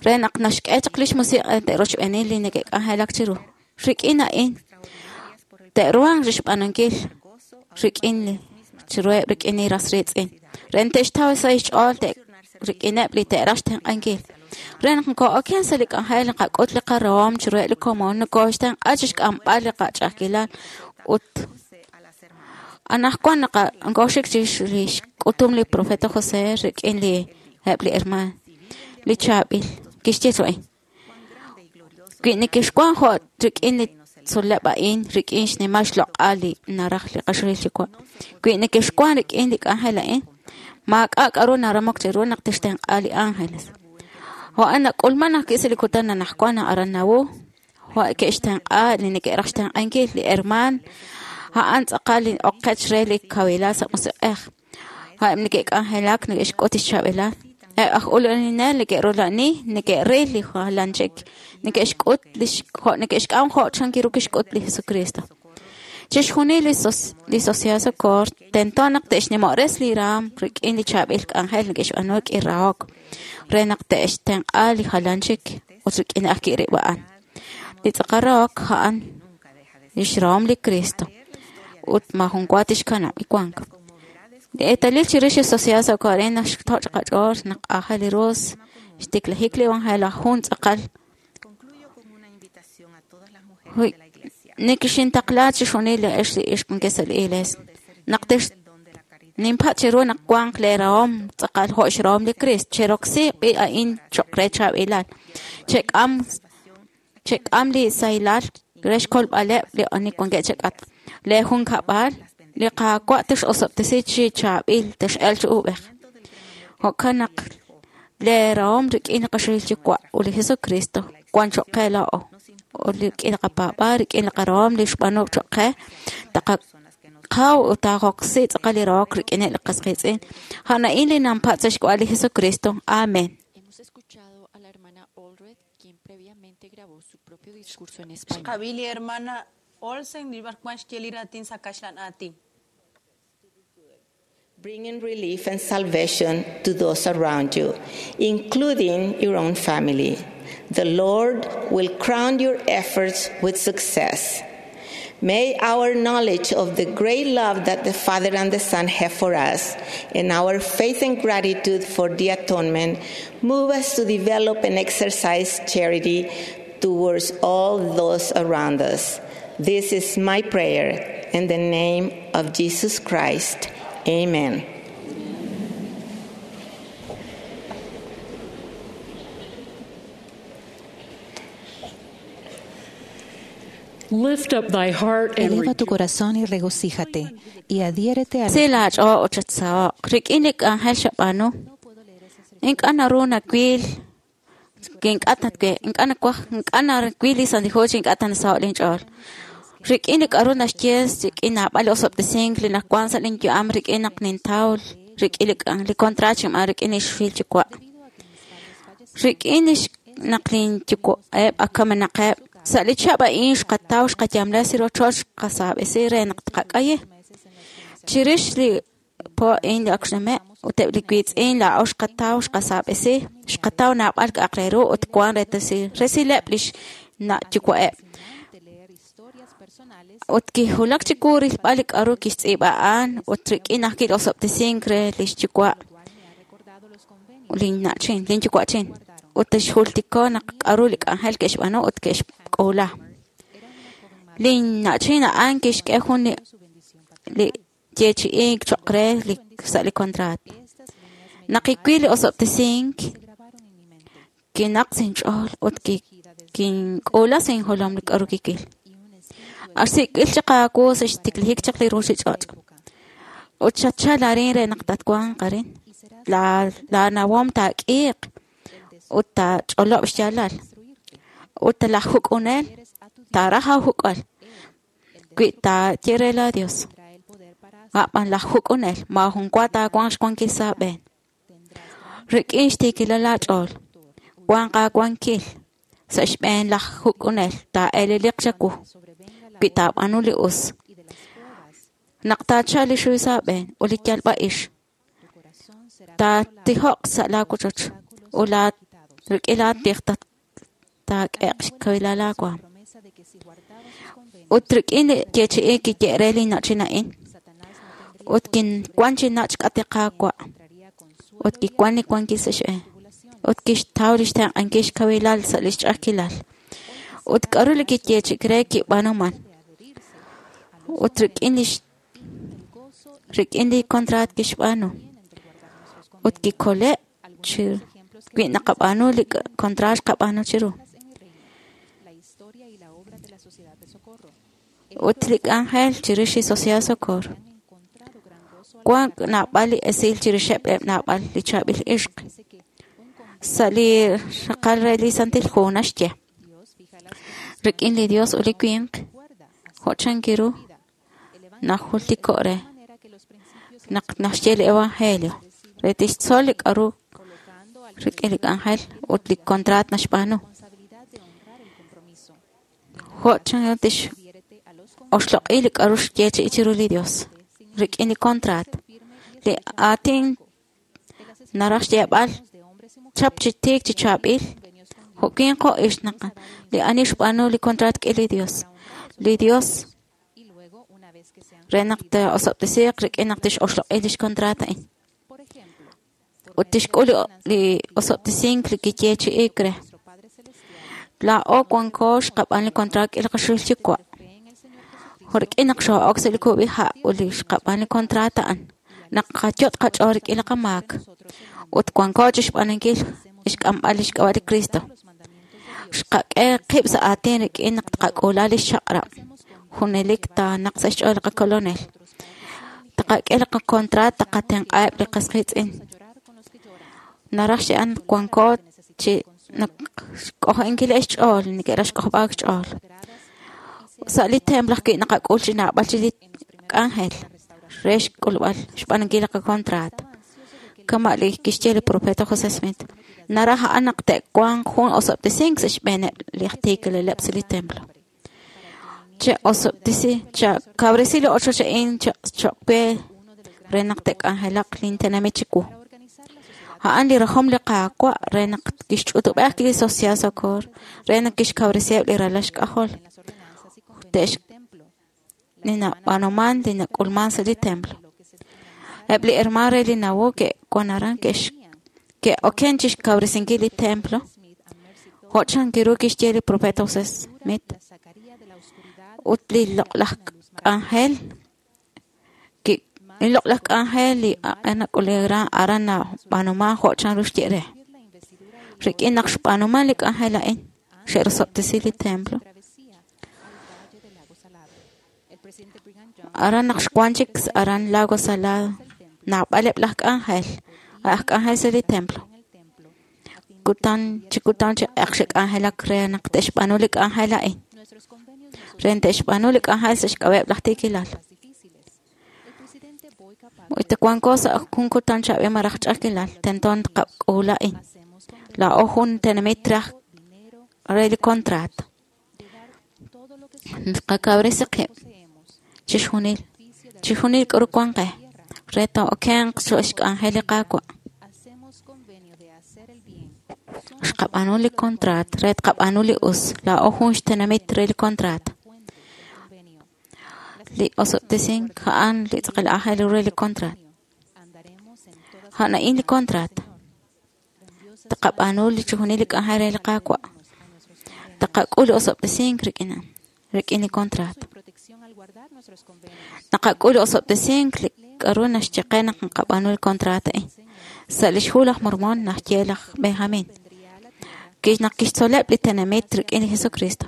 Speaker 5: re naq naxk'e chaq lix musiq'ej te'rochb'eeni li neke'k'anjelak chiru. Rik'in a'in te'ruhanq chixb'aanunkil rik'in li chiruheb' rik'in li ras riitz'in. Re naq te'xtaw sa' xch'ool rik'ineb' li te'raj xtenq'ankil. Re naq nokoo'oken sa' li k'anjel naqak'ut li qarahom chiruheb' li komon nokooxtenq'a chixk'amb'al li qach'a'ajkilal ut anaqwan nokooxik chirix li xk'utum li profeta José rik'in li eb' li hermaan li chaab'il kixye a'in. Wi nekexwan jo' rik'in li tzol'leb' a'in rik'in xnimal xloq'al li naraj li qaxolil Yuwa'. Wi nekexwan rik'in li k'anjel a'in, maak'a' k'aru naramok cheru naq tixtenq'a li ángeles. Jo'an nak'ulman ajwi' sa' li kutan anaqwan aran Nauvoo, jo' ke'xtenq'a li neke'raj xtenq'ankil li hermaan, a'an tz'aqal li oqech re li kawilal sa' musiq'ej. A'eb' neke'k'anjelak neke'xk'ut xchaab'ilal. Eb' aj ula'aninel neke'rula'ani, neke'ril li jalan chik, neke'xk'ut neke'xk'am jo' chan ru kixk'ut li Jesucristo. Chixjunil li Sociedad Socorro tento naq te'xnimo'res li raam rik'in li chaab'il k'anjel neke'xb'aanu rik'in rahok, re naq te'xtenq'a li jalan chik ut rik'in ajwi' rib' a'an. Li tz'aqal rahok a'an lix rahom li Cristo ut maajun wa tixkanab' li wank. Li eetalil chirix li Sociedad Socorro a'in naxtoch' qach'ool naq aajel ru xtiklajik li evangelio jun tz'aqal. Nekexintaqla chixjunil li ex li ixq wankeb' sa' li iglees. Naq ninpatz' cheru naq wanq lee rahom tz'aqal jo' xrahom li Cristo. Cheroksi b'i a'in cho'q re chaab'ilal. Chek'am li sahilal re xkolb'aleb' li ani wankeb' chek'atq. Lee junkab'al, li Qaawa' tix'osob'tesi chi chaab'il tex'elq chi uub'ej. Jo'kan naq lee rahom rik'in li qaxolil Yuwa' ut li Jesucristo wan cho'q qe laa'o. Ut rik'in li qapaab'aal, rik'in li qarahom li xb'aanu cho'q qe, taqaqaw ut taqoksi tz'aqal li rahok rik'ineb' li qas qiitz'in. A'an a'in li nanpatz' sa' xk'ab'a' li Jesucristo. Amén.
Speaker 8: Hemos escuchado a la hermana Allred, quien previamente grabó su propio discurso en español.
Speaker 3: Xqab'i li hermana Olsen li b'arwan xye li raatin sa' kaxlan aatin.
Speaker 7: Bringing relief and salvation to those around you, including your own family. The Lord will crown your efforts with success. May our knowledge of the great love that the Father and the Son have for us, and our faith and gratitude for the atonement, move us to develop and exercise charity towards all those around us. This is my prayer in the name of Jesus Christ. Amen.
Speaker 1: Lift up thy heart and
Speaker 9: Eleva tu corazón y regocíjate, y adhiérete a
Speaker 5: Si laach'ool ut chatsaho'q rik'in li k'anjel xab'aanu. Ink'a' naru nawil ink'a' ink'a' nawaj ink'a' nawil li Santil Hu chi ink'a' ta nasaho' linch'ool. Rik'in li k'aru naxye rik'in naab'al li osob'tesink li nawank sa' linyu'am rik'in naq nintaw rik'in li contrato xinb'aan rik'in li xfil yuwa'. Rik'in naq linyuwa'eb' ak kamenaqeb' sa' li chihab' a'in xqataw xqayamla sa' rochoch xqasaab'esi re naq tqak'ayi. Chirix li po a'in li ak xnume' ut eb' li wiitz'in laa'o xqataw xqasaab'esi xqataw naab'al k'a'aq re ru ut wank resileb' li xna'yuwa'eb'. Ut kiwulak chiwu rilb'al li k'aru kixtz'iib'a a'an ut rik'in ajwi' li osob'tesink re li xyuwa' linna'chin linyuwa'chin. Ut xjultiko naq k'aru li k'anjel ke'xb'aanu ut ke'xk'uula. Linna'chin a'an kixk'e jun li yeechi'ink cho'q re sa' li contrato. Naq kiwil li osob'tesink, kinaq sa' inch'ool ut kink'uula sa' injolom li k'aru kiwil. Ak xsik'b'il chaq aawu sa' xtiklajik chaq li ruuchich'och'. Ut xatchal arin re naq tatwanq arin. Laanawom taak'iiq ut taach'olob' xyaalal. Ut laj juk'unel taaraj aajuk'al wi taaye re laa Dios. A'b'an laj juk'unel maajun wa taawanq xwankil sa' aab'een. Rik'in xtiikilal aach'ool, wanq aawankil sa' xb'een laj juk'unel taa'eleliq chawu wi taab'aanu li us. Naq taachalq li xuy sa' aab'een ut li yalb'a'ix, taatijoq sa' laawochoch ut rik'in laatij taak'eq xkawilal aawaam. Ut rik'in li yeechi'ink kiye re linna'chin a'in, Ut kinwan chi nach' xk'atq li Qaawa'. Ut kiwan li wankil sa' xb'een. Ut kixtaw lix tenq'ankil xkawilal sa' lix ch'a'ajkilal. Ut k'a'ru li kiyeechi'ik re kib'aanuman. Ut rik'in li contrat kixb'aanu. Ut kikole' chi wi naqab'aanu li contrat xqab'aanu chiru. Ut li k'anjel chirix li Sociedad Socorro. Wan naab'al li esil chirixeb' eb' naab'al li chaab'il ixq. Sa' li raqal re li Santil Hu naxye. Rik'in li Dios ut li winq, jo' chan kiru najultiko' re naq naxye li Evangelio re tixtzol li k'a'ru rik'in li k'anjel ut li contrat naxb'aanu. Jo' chan tix oxloq'i li k'a'ru xyeechi'i chiru li Dios rik'in li contrat. Li aatin naraj xyeeb'al chap chi tiik chi chaab'il jo' winq jo' ixq naq li ani xb'aanu li contrat rik'in li Dios. Li Dios re naq taa'osob'tesiiq rik'in naq tixoxloq'i lix contrat a'in. Ut tixk'ul li osob'tesink li kiyeechi'iik re. Laa'o wanko xqab'aan li contrat rik'in li qaxul Yuwa'. Jo' rik'in naq xoo'ok sa' li kub'iha' ut li xqab'aan li contrat a'an, naq qayot' qach'ool rik'in li qamaak. Ut wanko chixb'aanunkil xk'amb'al lix k'ab'a' li Cristo. Xqak'e qib' sa' aatin rik'in naq tqak'uula lix chaq'rab'. Junelik taanaq sa' xch'ool li qakolonel. Tqak'e li qakontrat taqatenq'aheb' li qas qiitz'in. Naraj xye'an wanko chi naq xk'ojo'inkileb' xch'ool, neke'raj xk'ojob'aak xch'ool. Sa' li templo ajwi' naqak'ul chi naab'al chi li k'anjel re xk'ulb'al xb'aanunkil li qakontrat. Kama' li kixye li profeta José Smith. Naraj a'an naq te'wanq jun osob'tesink sa' xb'eeneb' li aj tiikilaleb' sa' li templo. Che osob'tesi, chakabresi li ochoch a'in choq' we re naq te'k'anjelaq lintenamit chiwu. A'an li rajom li Qaawa' re naq kixch'utub'ej li Sociedad Socorro re naq kixkawresiheb' li ralal xk'ajol. Te'x li nab'aanuman li nak'ulman sa' li templo. Eb' li hermano re li nawu ke'wan aran ke'oken chixkawresinkil li templo. Jo' chan kiru kixye li profeta José Smith. Ut li loq'laj k'anjel li loq'laj k'anjel li nak'ulera aran nab'aanuman jo' chan ru xye re. Rik'in naq xb'aanuman li k'anjel a'in xe'rosob'tesi li templo. Aran naq xwan chik aran Lago Salado naab'aleb' laj k'anjel, aj k'anjel sa' li templo. Kutan chi kutan chi ak xe'k'anjelak re naq te'xb'aanu li k'anjel a'in. Re te'xb'aanu li k'anjel sa' xk'ab'a'eb' laj tiikilal. Ut wanko sa' jun kutan chaab'il malaj ch'a'ajkilal, tento tqak'uula a'in. Laa'o jun tenamit raj re li contrat. Naqakawresi qib' chixjunil, chixjunil k'aru wan qe re taa'okenq sa' xk'anjel li Qaawa'. Xqab'aanu li contrat re tqab'aanu li us. Laa'o jun xtenamit re li contrat. Li osob'tesink a'an li tz'aqal aajel ru re li contrat. A'an a'in li contrat. Taqab'aanu li chixjunil li k'anjel re li Qaawa'. Taqak'ul li osob'tesink rik'in rik'in li contrat. Naqak'ul li osob'tesink li k'aru naxye qe naq naqab'aanu li contrat a'in. Sa' lix hu laj Mormon naxye laj Benjamin. Naq kixtzoleb' li tenamit rik'in li Jesucristo.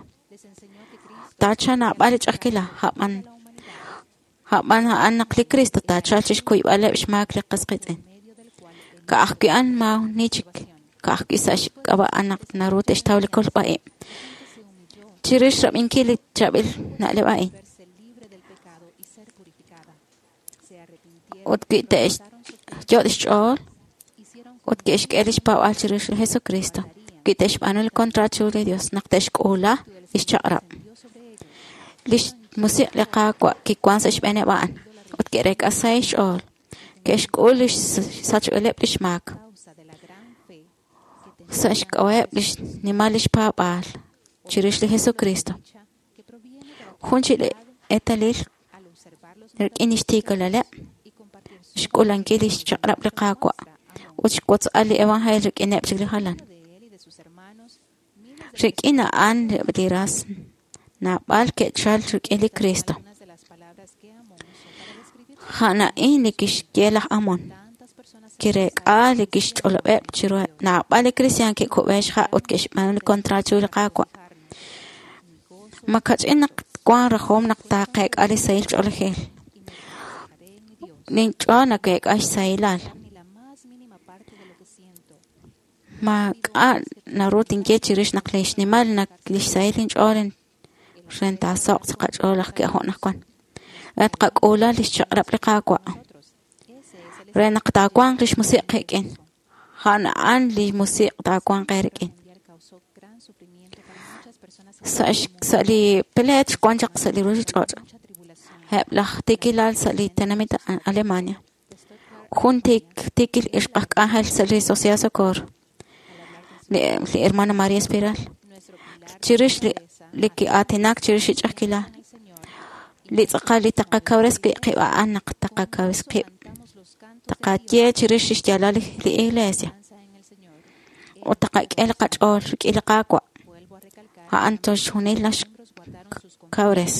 Speaker 5: Taachalq naab'al li ch'a'ajkilal, a'b'an a'an naq li Cristo taachalq chixkuyb'aleb' xmaak li qas qiitz'in. Ka'ajwi' a'an maani chik, ka'ajwi' sa' xk'ab'a' a'an naq naru te'xtaw li kolb'a-ib'. Chirix rab'inkil li chaab'il na'leb' a'in. Ut wi te'xyot' xch'ool ut ke'xk'e lix paab'aal chirix li Jesucristo. Wi te'xb'aanu li contrat chiru li Dios naq te'xk'uula lix chaq'rab'. Lix musiq' li Qaawa' kiwan sa' xb'eeneb' a'an ut ke'reek'a sahil xch'ool. Ke'xk'ul lix sachb'ileb' lix maak. Sa' xk'ab'a'eb' lix nimal lix paab'aal chirix li Jesucristo. Jun chi eetalil rik'in lix tiikalaleb' xk'ulankil lix chaq'rab' li Qaawa' ut xwotzb'al li evangelio rik'ineb' chik li jalan. Rik'in a'an li ras naab'al ke'chal rik'in li Cristo. A'an a'in li kixye laj Amon. Kireek'a li kixch'olob'eb' chiruheb' naab'al li kristiaan ke'kub'e xha' ut ke'xb'aanu li kontraat chiru li Qaawa'. Makach'in naq wan rajom naq taaqeek'a li sahil ch'oolejil. Lin ch'ool nakeek'a xsahilal. Maak'a' naru tinye chirix naq li xnimal naq lix sahil inch'ool re taasaho'q sa' qach'ool ajwi' jo' anaqwan. Re tqak'uula lix chaq'rab' li Qaawa'. Re naq taawanq lix musiq' qik'in. A'an a'an li musiq' taawanq eerik'in. Sa' li pleet xwan chaq sa' li ruchich'och'. Eb' laj tiikilal sa' li tenamit Alemania. Jun tiikil ixq aj k'anjel sa' li Sociedad Socorro. Li hermana María Espiral. Chirix li ki'aatinak chirix li ch'a'ajkilal. Li tz'aqal li taqakawres wi' qib' a'an naq taqakawres qib'. Taqaye chirix lix yaalal li Iglesia. Ut taqak'e li qach'ool rik'in li Qaawa'. A'an toxjunil naxkawres.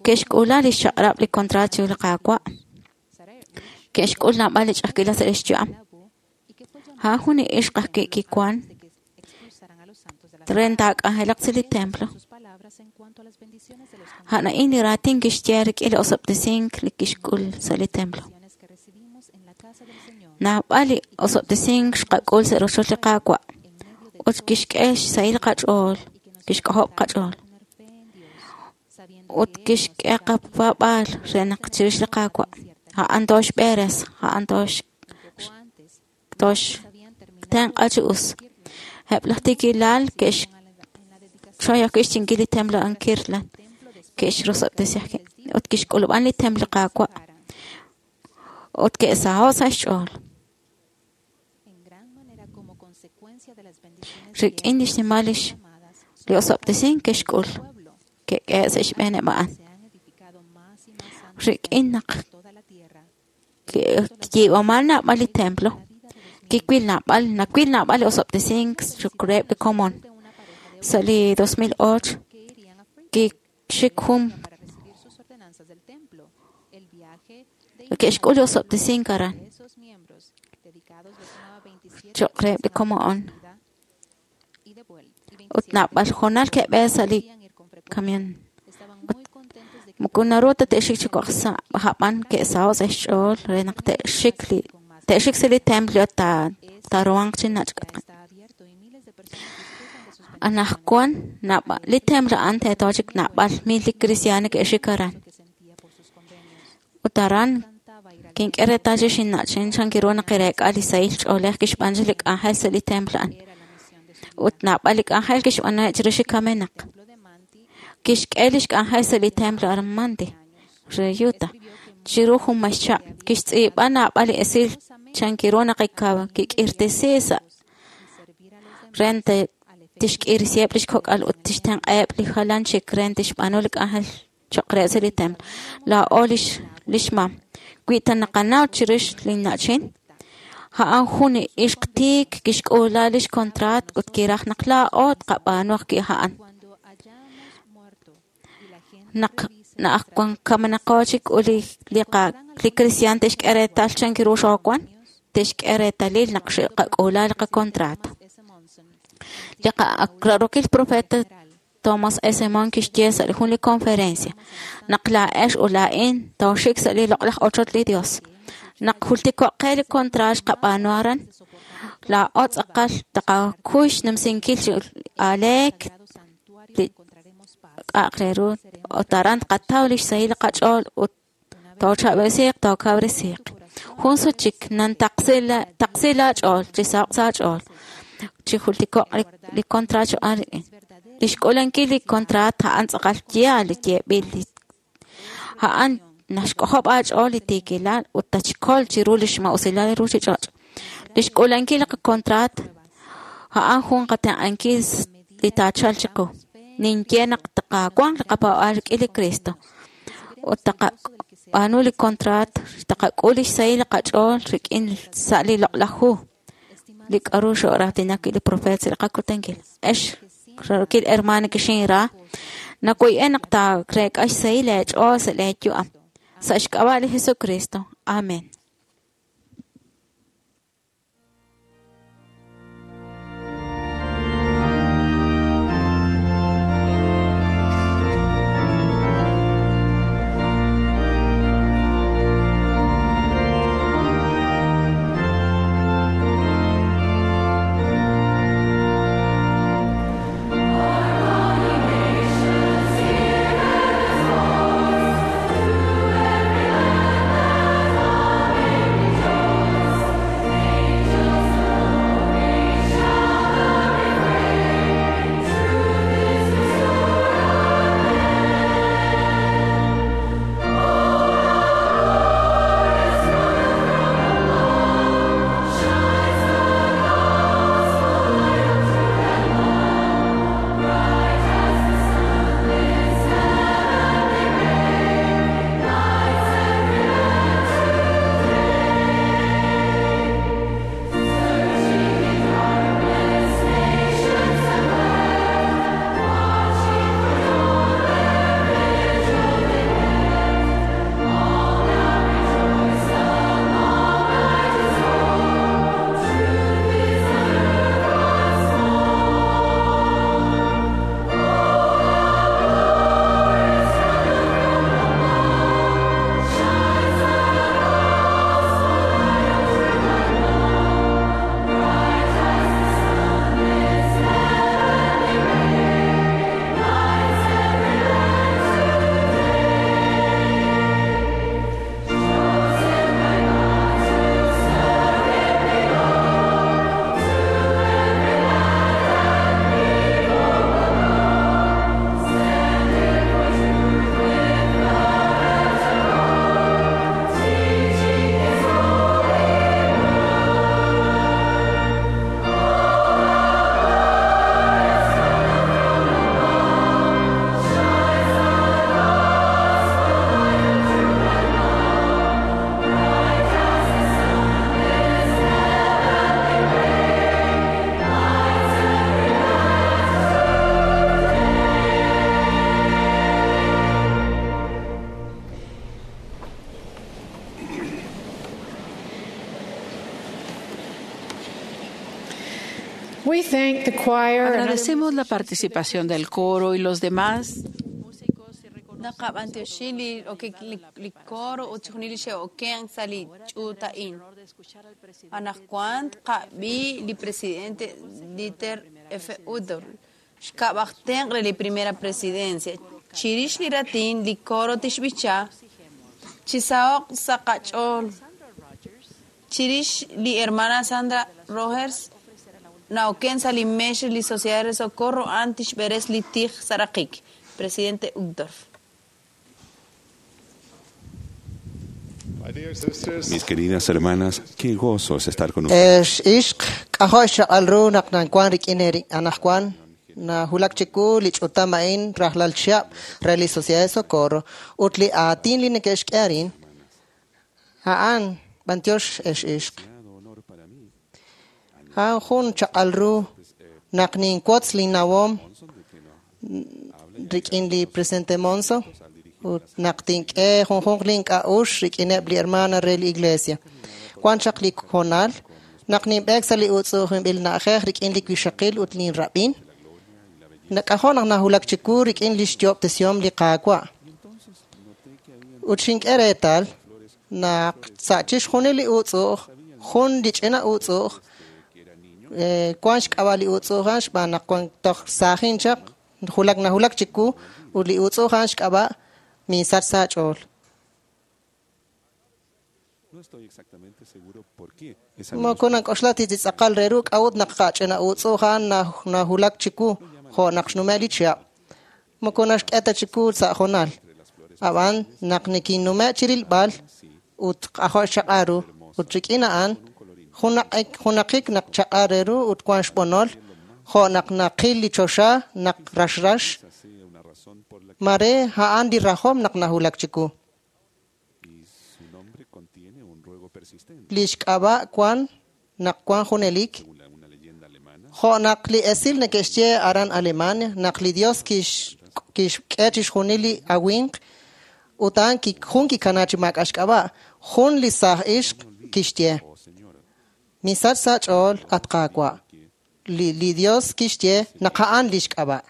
Speaker 5: Ke'xk'uula lix chaq'rab' li kontraat chiru li Qaawa'. Ke'xk'ul naab'al li ch'a'ajkilal sa' lix yu'am. A'an jun li ixq ajwi' kiwan re taak'anjelaq sa' li templo. A'an a'in li raatin kixye rik'in li osob'tesink li kixk'ul sa' li templo. Naab'al li osob'tesink xqak'ul sa' rochoch li Qaawa' ut kixk'e xsahil qach'ool, kixk'ojob' qach'ool. Ut kixk'e qapaab'aal re naq chirix li Qaawa'. A'an toxb'eres, a'an toxtenq'a chi us. Eb' laj tiikilal ke'xchoy ajwi' xchinkil li templo a'an Kirtland. Ke'xrosob'tesi ajwi' ut kixk'ulub'an li templo Qaawa'. Ut ke'saho' sa' xch'ool. Rik'in lix nimal li osob'tesink ke'xk'ul. Ke'k'ehe' sa' xb'eeneb' a'an. Rik'in naq kiyiib'aman naab'al li templo, kiwil naab'al, nawil naab'al li osob'tesink reheb' li komon. Sa' li 2008 kixik jun ke'xk'ul li osob'tesink aran cho'q reheb' li komon. Ut naab'al hoonal ke'b'e sa' li camión. Moko naru ta te'xik chi kok' sa' a'b'an ke'saho' sa' xch'ool re naq te'xik sa' li templo taaruhanq chi nach'. Anaqwan li templo a'an teeto chik naab'al mil li kristiaan ke'xik aran. Ut aran kink'e reetal chi xinna'chin chan kiru naq kireek'a li sahil ch'oolej kixb'aanu li k'anjel sa' li templo a'an. Ut naab'al li k'anjel kixb'aanu chirix li kamenaq. Kixk'e lix k'anjel sa' li templo Armandi re Utah. Chiru jun maxchab' kixtz'iib'a naab'al li esil chan kiru naq kik'irtesi sa' re tixk'irisiheb' lix kok'al ut tixtenq'aheb' li jalan chik re tixb'aanu li k'anjel cho'q re sa' li templo. Laa'o lix mam. Wi ta naqanaw chirix li na'chin, a'an jun li ixq tiik kixk'uula lix kontraat ut kiraj naq laa'o tqab'aanu ajwi' a'an. Naq kamenaqo chik ut li kristiaan te'xk'e reetal chan kiru xoowan, te'xk'e reetalil naq xqak'uula li qakontraat. Li qa'rarokil profeta Thomas S. Monson kixye sa' jun li conferencia naq laa'ex ut laa'in tooxik sa' li loq'laj ochoch li Dios. Naq jultiko'q qe li kontraat xqab'aanu aran, laa'o tz'aqal taqakuy xnumsinkil chi aleek li k'a'aq re ru ut aran tqataw lix sahil qach'ool ut toochab'esiiq tookawresiiq. Jun sut chik nan taqsi laach'ool chi saho'q sa' aach'ool chi jultiko'q li kontraat xb'aan rik'in. Lix k'ulankil li kontraat a'an tz'aqal yaal li yeeb'il li a'an naxk'ojob' aach'ool li tiikilal ut tatxkol chiru lix ma'usilal li ruchich'och'. Lix k'ulankil li qakontraat a'an jun qatenq'ankil li taachalq chiqu. Ninye naq taqawanq li qapaab'aal rik'in li Cristo ut Taqab'aanu li contrat, taqak'ul lix sahil li qach'ool rik'in sa' li loq'laj hu, li k'a'ru xo'raatinak wi' li profeet sa' li qakutankil. Ex raarokil hermano kixinra, nawoy'en naq taareek'a xsahil eech'ool sa' lee yu'am. Sa' xk'ab'a' li Jesucristo. Amen.
Speaker 1: We thank the choir and other
Speaker 2: Agradecemos la participación del coro y los demás
Speaker 3: Naqab'antioxin li okik li coro ut chixjunil li xe'oken sa' li ch'uut a'in. Anaqwan tqab'i li presidente Dieter F. Uchtdorf, xk'ab'aj tenq' re li primera presidencia. Chirix li ratin li coro tixb'icha chisaho'q sa' qach'ool. Chirix li hermana Sandra Rogers na'oken sa' li meex re li Sociedad de Socorro a'an tixb'eres li tij sa' raqik. Presidente Uchtdorf.
Speaker 10: Mis queridas hermanas, qué gozo es estar con ustedes.
Speaker 11: Ex ixq k'ajo' xchaq'al ru naq nanwan rik'in anaqwan najulak chiku li ch'utam a'in rajlal chihab' re li Sociedad de Socorro ut li aatin li neke'xk'e arin a'an b'antiox ex ixq. A'an jun chaq'al ru naq ninwotz linnawom rik'in li presidente Monson ut naq tink'e junjunq link'a'ux rik'ineb' li hermana re li iglesia. Wan chaq li hoonal naq ninb'eek sa' li utz'u'ujinb'il na'ajej rik'in li wixaqil ut linrab'in, nak'ajo' naq najulak chiwu rik'in li xyo'ob'tesihom li Qaawa'. Ut xink'e reetal naq sa' chixjunil li utz'u'uj, jun li ch'ina utz'u'uj, wan xk'ab'a' li utz'u'uj a'an xb'aan naq wan toj saajin chaq, julak najulak chiwu ut li utz'u'uj a'an xk'ab'a' minsach sa' ch'ool.
Speaker 10: No estoy exactamente seguro por qué esa
Speaker 11: Moko nank'oxla titz'aqal re ru k'a'ut naq qach'ina utz'u'uj a'an najulak chiwu jo' naq xnume' li chihab'. Moko naxk'e ta chiwu sa' hoonal. Ab'an naq nikinnume' chirilb'al ut k'ajo' xchaq'al ru ut rik'in a'an junaqik naq chaq'al re ru ut wan xb'onol jo' naq naqil li choxa naq raxrax mare a'an li rajom naq najulak chiwu. Li xk'ab'a' wan naq wan junelik. Jo' naq li esil neke'xye aran Alemania, naq li Dios kixk'e chixjunil li awinq, ut a'an jun kikana chi maak'a' xk'ab'a'. Jun li saaj ixq kixye, misach sa' ch'ool at Qaawa'. Li Dios kixye naq a'an li xk'ab'a'.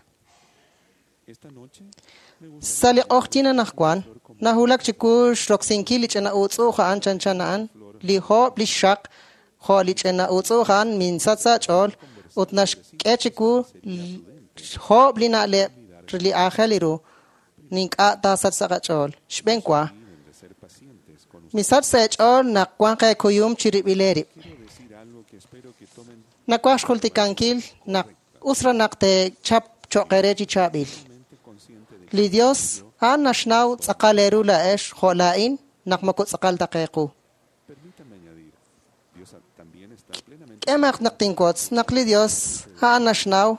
Speaker 11: Sa' li q'oqyink anaqwan, nahulak chiwu xroksinkil li ch'ina utz'u'uj a'an chanchan a'an, li hoob' li xxaq, jo' li ch'ina utz'u'uj a'an minsach sa' ch'ool, ut naxk'e chiwu hoob' li na'leb' li aajel ru, ink'a' taasach sa' qach'ool. Xb'een wa, misach sa' eech'ool naq wanq eekuyum chirib'il eerib'. Nawaj xjultikankil naq us raj naq teechap cho'q eere chi chaab'il. Li Dios a'an naxnaw tz'aqal eeru laa'ex jo' laa'in naq moko tz'aqal ta qe qu. K'emaq naq tinwotz naq li Dios a'an naxnaw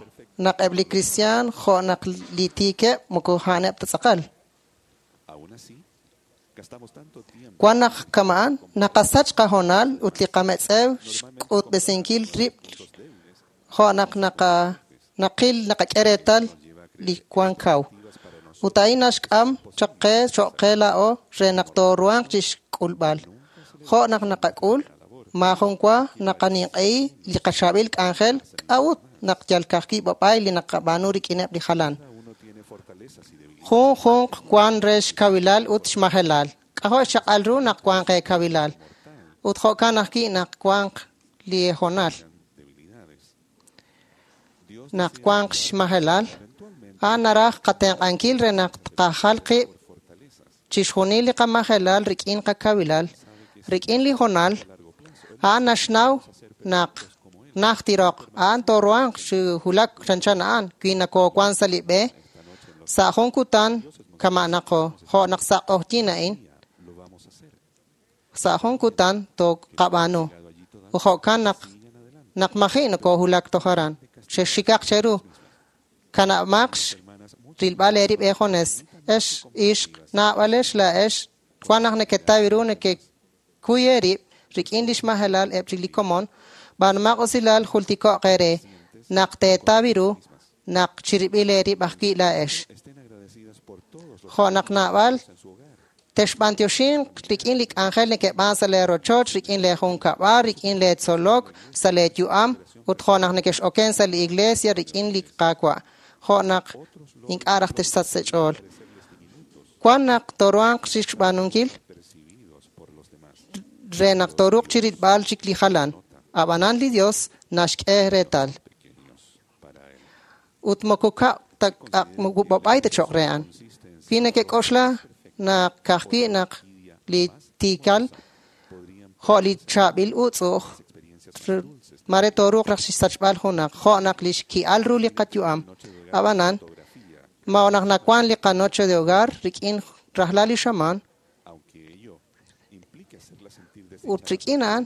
Speaker 11: naq eb' li kristiaan jo' naq li tiikeb' moko a'aneb' ta tz'aqal. Wan naq kama'an naqasach qahoonal ut li qametz'ew xk'utb'esinkil rib' jo' naq naqil naqak'e reetal li wan kaw. Ut a'in naxk'am chaq qe cho'q qe laa'o re naq tooruhanq chixk'ulb'al. Jo' naq naqak'ul, maajun wa naqaninq'ehi li qachaab'il k'anjel k'a'ut naq yal ka'ajwi' b'ab'ay li naqab'aanu rik'ineb' li jalan. Junjunq wan re xkawilal ut xmajelal. K'ajo' xchaq'al ru naq wanq eekawilal. Ut jo'kan ajwi' naq wanq li hoonal. Naq wanq xmajelal, a'an naraj qatenq'ankil re naq tqajal qib' chixjunil li qamajelal rik'in qakawilal, rik'in li hoonal, a'an naxnaw naq najt tiroq, a'an tooruhanq chi wulak chanchan a'an wi nakoowan sa' li b'e, sa' jun kutan kama'naqo, jo' naq sa' q'oqyink a'in, sa' jun kutan tooqab'aanu. Ut jo'kan naq maji' nakoohulak toj aran. Xexxikaq cheru, kanab'maq rilb'al eerib' eejones, ex ixq naab'alex laa'ex wan naq neketaw ru nekekuy eerib' rik'in li xmajelal eb' chik li komon, b'aanumaq usilal jultiko'q eere naq teetaw ru naq chirib'il eerib' ajwi' laa'ex. Jo' naq naab'al texb'antioxinq rik'in li k'anjel nekeb'aan sa' lee rochoch, rik'in lee junkab'al, rik'in lee tzolok, sa' lee yu'am, ut jo' naq nekex'oken sa' li iglesia rik'in li Qaawa'. Jo' naq ink'a' raj texsach sa' ch'ool. Wan naq tooruhanq chixb'aanunkil re naq tooruuq chirilb'al chik li jalan. Ab'anan li Dios naxk'e reetal. Ut moko b'ab'ay ta cho'q re a'an. Wi nekek'oxla naq ka'ajwi' naq li tiikal jo' li chaab'il utz'u'uj mare tooruuq raj chixsachb'al junaq jo' naq li xki'al ru li qayu'am. Ab'anan, ma naq nawan li qanoche de hogar rik'in rajlal li xamaan, ut rik'in a'an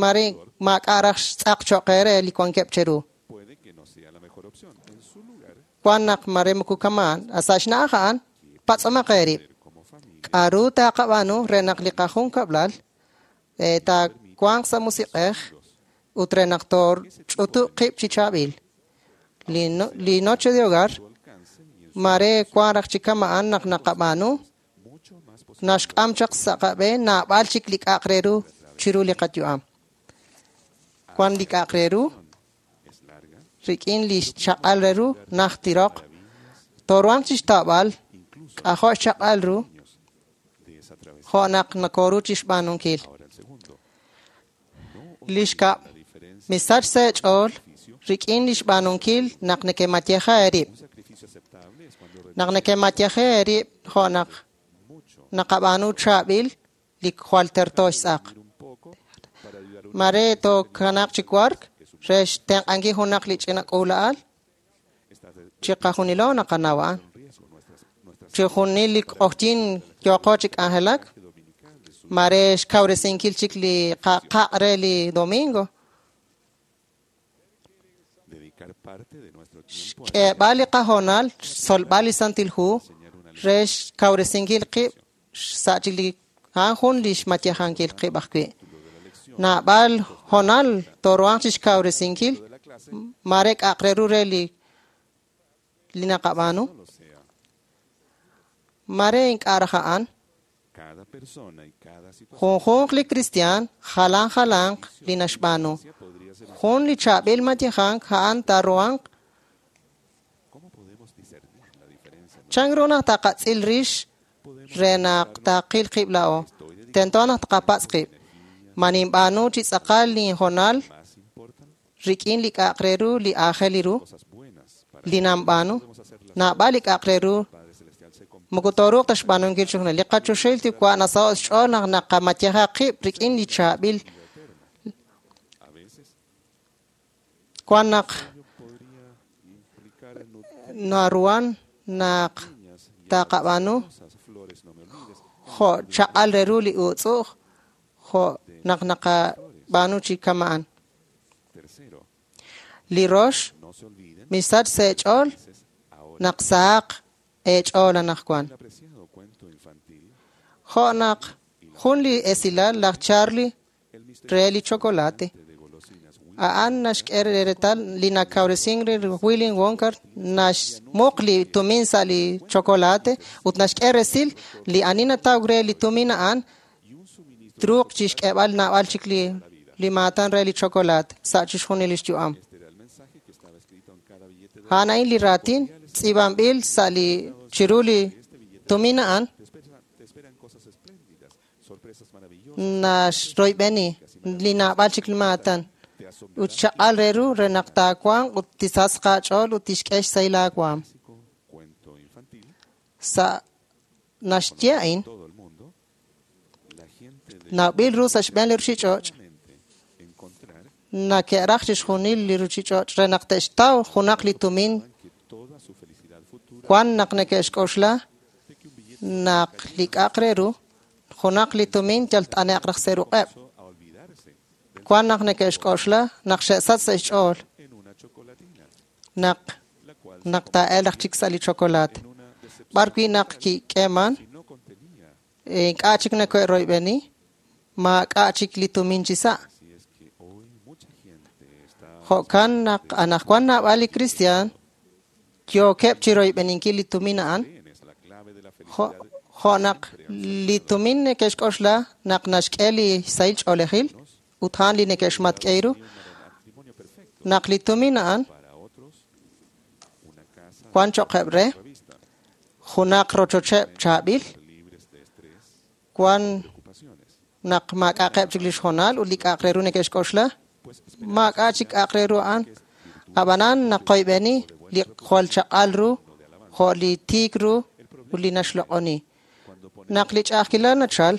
Speaker 11: mare maak'a' raj xtz'aq cho'q eere li wankeb' cheru. Wan naq mare moko kama'an, sa' xna'aj a'an, patz'omaq eerib'. K'a'ru taaqab'aanu re naq li qajunkab'lal taawanq sa' musiq'ej ut re naq tooch'utub' qib' chi chaab'il. Li noche de hogar mare wan raj chi kama'an naq naqab'aanu naxk'am chaq sa' qab'een naab'al chik li k'a'aq re ru chiru li qayu'am. Wan li k'a'aq re ru rik'in li xchaq'al re ru najt tiroq, tooruhanq chixtawb'al k'ajo' xchaq'al ru jo' naq nakooru chixb'aanunkil. Li xkab', misach sa' eech'ool rik'in li xb'aanunkil naq nekemayeja eerib'. Naq nekemayeja eerib' jo' naq naqab'aanu chaab'il li jwal terto xtz'aq. Mare tookanaq chi wark re xtenq'ankil junaq li ch'ina k'uula'al chiqajunilo naqanaw a'an. Chijunil li q'oqyink yooqo chi k'anjelak, mare xkawresinkil chik li qaq' re li domingo. Xk'eeb'al li qahoonal, xtzolb'al li Santil Hu re xkawresinkil qib' sa' chik li a'an jun li xmayejankil qib' ajwi'. Naab'al hoonal tooruhanq chixkawresinkil mare k'a'aq re ru re li naqab'aanu. Mare ink'a' raj a'an. Junjunq li kristiaan jalan jalanq li naxb'aanu. Jun li chaab'il mayejank a'an taaruhanq. Chan ru naq taqatz'il rix re naq taqil qib' la'o. Tento naq taqapatz' qib'. Ma ninb'aanu chi tz'aqal linhoonal rik'in li k'a'aq re ru li aajel li ru li nanb'aanu. Naab'al li k'a'aq re ru moko tooruuq ta xb'aanunkil chixjunil. Li qachoxahil Yuwa' nasaho' xch'ool naq naqamayeja qib' rik'in li chaab'il. Wan naq naruhan naq taqab'aanu jo' chaq'al re ru li utz'u'j jo' naq naqab'aanu chi kama'an. Li rox, misach sa' eech'ool naq sahaq eech'ool anaqwan. Jo' naq jun li esilal laj Charlie re li chocolate. A'an naxk'e reetal li nakawresink re Willy Wonka naxmuq li tumin sa' li chocolate ut naxk'e resil li ani nataw re li tumin a'an truuq chixk'eeb'al naab'al chik li maatan re li chocolate sa' chixjunil lix yu'am. A'an a'in li raatin tz'iib'anb'il sa' li chiru li tumin a'an naxroyb'eni li naab'al chik li maatan ut chaq'al re ru re naq taawanq ut tisasq aach'ool ut tixk'e xsahil aawaam. Sa' naxye a'in nawb'il ru sa' xb'een li ruchich'och' nake'raj chixjunil li ruchich'och' re naq te'xtaw junaq li tumin wan naq neke'xk'oxla naq li k'a'aq re ru junaq li tumin yal t'ane'q raj sa' ruq'eb'. Wan naq neke'xk'oxla naq xe'sach sa' xch'ool naq taa'elq raj chik sa' li chocolate. B'ar wi' naq kik'eeman ink'a' chik neke'royb'eni maak'a' chik li tumin chi sa'. Jo'kan naq anaqwan naab'al li kristiaan yookeb' chiroyb'eninkil li tumin a'an. Jo' naq li tumin neke'xk'oxla naq naxk'e li sahil ch'oolejil ut a'an li neke'xmatk'e ru. Naq li tumin a'an wan cho'qeb' re junaq rochocheb' chaab'il, wan naq maak'a'qeb' chik lix hoonal ut li k'a'aq re ru neke'xk'oxla, maak'a' chik k'a'aq re ru a'an. Ab'anan naqoyb'eni li jwal chaq'al ru jo' li tiik ru ut li naxloq'oni. Naq li ch'a'ajkilal nachal,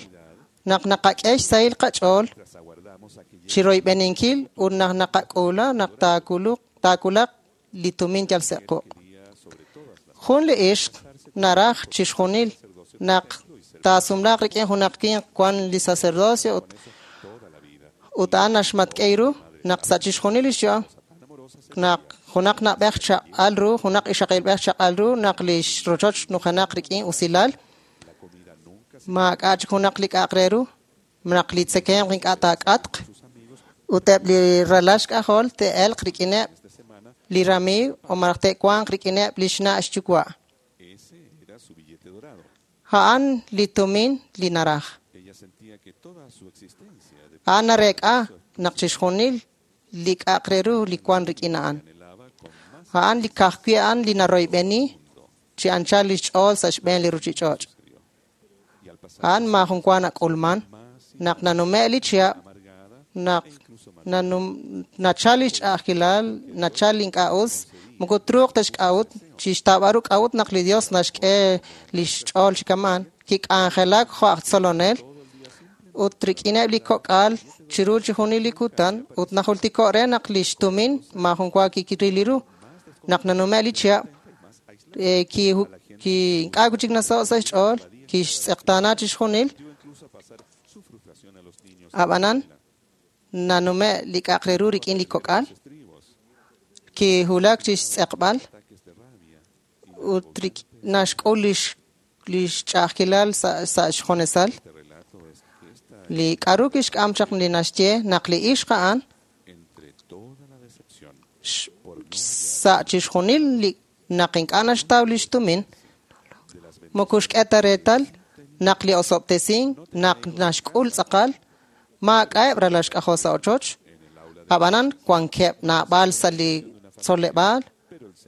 Speaker 11: naq naqak'e xsahil qach'ool chiroyb'eninkil ut naq naqak'uula naq taakulaq li tumin yal sa' quq'. Jun li ixq naraj chixjunil naq taasumlaaq rik'in junaq winq wan li sacerdocio ut a'an naxmatk'e ru naq sa' chixjunil lix yu'am naq junaq na'b'ej chaq'al ru, junaq ixaqilb'ej chaq'al ru, naq lix rochoch nujenaq rik'in usilal, maak'a' chik junaq li k'a'aq re ru, naq li tzekemq ink'a' taak'atq, ut eb' li ralal xk'ajol te'elq rik'ineb' li ramiiw o malaj te'wanq rik'ineb' li xna' xyuwa'. A'an li tumin li naraj. A'an nareek'a naq chixjunil li k'a'aq re ru li wan rik'in a'an. A'an li ka'ajwi' a'an li naroyb'eni chi anchal lix ch'ool sa' xb'een li ruchich'och'. A'an maajun wa nak'ulman naq nanume' li chihab', naq nachal lix ch'a'ajkilal, nachal li ink'a' us, moko truuq ta xk'a'ut, chixtaab'al ru k'a'ut naq li Dios naxk'e lix ch'ool chi kama'an, kik'anjelak jo' aj tzolonel ut rik'ineb' li kok'al chiru chixjunil li kutan ut najultiko' re naq lix tumin maajun wa kikiril li ru. Naq nanume' li chihab', ink'a' chik nasaho' sa' xch'ool, kixtz'eqtaana chixjunil. Ab'anan nanume' li k'a'aq re ru rik'in li kok'al, kihulak chixtz'eqb'al ut naxk'ul lix ch'a'ajkilal sa' xjonesal. Li k'aru kixk'am chaq li naxye naq li ixq a'an sa' chixjunil li naq ink'a' naxtaw lix tumin, moko xk'e ta reetal naq li osob'tesink naq naxk'ul tz'aqal maak'a'eb' ralal xk'ajol sa' ochoch, ab'anan wankeb' naab'al sa' li tzoleb'aal,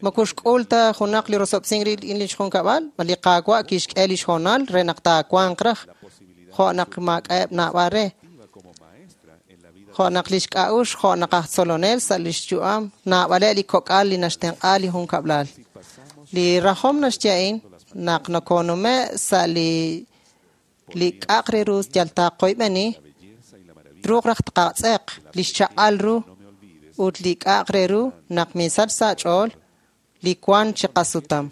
Speaker 11: moko xk'ul ta junaq li rosob'tesink rik'in lix junkab'al, li Qaawa' kixk'e lix hoonal re naq taawanq raj, jo' naq maak'a'eb' naab'al re. Jo' naq lix k'a'uxl, jo' naq aj tzolonel sa' lix yu'am, naab'aleb' li kok'al li naxtenq'a li junkab'lal. Li rajom naxye a'in naq nokonume' sa' li k'a'aq re ru yal taqoyb'eni, truuq raj tqatz'eq li xchaq'al ru ut li k'a'aq re ru naq misach sa' ch'ool li wan chi qasutam.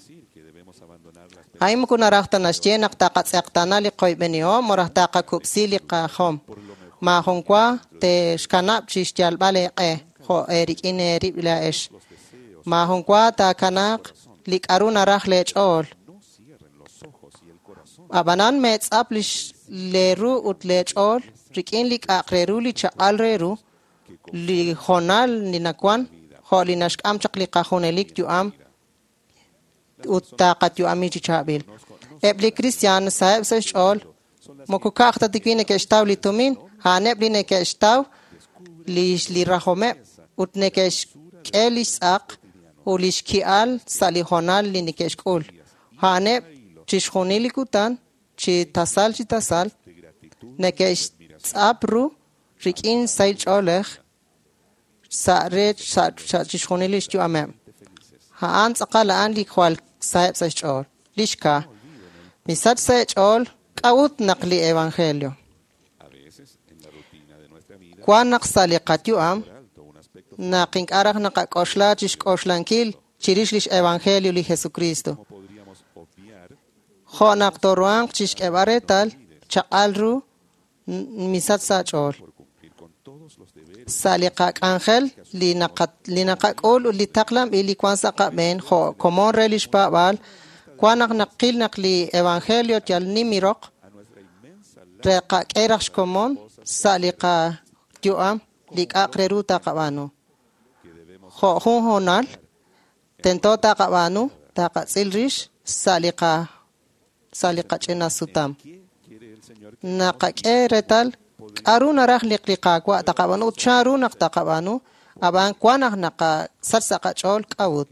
Speaker 11: A'in moko naraj ta naxye naq taqatz'eqtana li qoyb'enihom o raj taqakub'si li qajom. Maajun wa te'xkanab' chi xyalb'al eeq'e jo' eerik'in eerib' laa'ex. Maajun wa taakanaaq li k'aru naraj leech'ool. Ab'anan meetz'ap lee ru ut leech'ool rik'in li k'a'aq re ru li chaq'al re ru, li hoonal li nawan jo' li naxk'am chaq li qajunelik yu'am ut taqayu'ami chi chaab'il. Eb' li kristiaan saheb' sa' xch'ool moko ka'aj ta tikwi neke'xtaw li tumin, a'aneb' li neke'xtaw li rajomeb' ut neke'xk'e li xtz'aq ut li xki'al sa' li hoonal li neke'xk'ul. A'aneb' chixjunil li kutan chi tasal chi tasal neke'xtz'ap ru rik'in sahil ch'oolej sa' re sa' chixjunil li xyu'ameb'. A'an tz'aqal a'an li jwal saheb' sa' xch'ool. Li xka. Misach sa' xch'ool k'a'ut naq li evangelio. Wan naq sa' li qayu'am naq ink'a' raj naqak'oxla chixk'oxlankil chirix lix evangelio li Jesucristo. Jo' naq toruhanq chixk'eeb'al reetal chaq'al ru misach sa' ch'ool. Sa' li qak'anjel li naqak'ul ut li taqlanb'il li wan sa' qab'een jo' komon re lix paab'aal, wan naq naqil naq li evangelio yal nim roq re qak'e raj xkomon sa' li qayu'am li k'a'aq re ru taqab'aanu. Jo' jun hoonal tento taqab'aanu taqatz'il rix sa' li qach'ina sutam. Naqak'e reetal k'aru naraj li Qaawa' taqab'aanu ut chanru naq taqab'aanu, ab'an wan naq naqasach sa' qach'ool k'a'ut.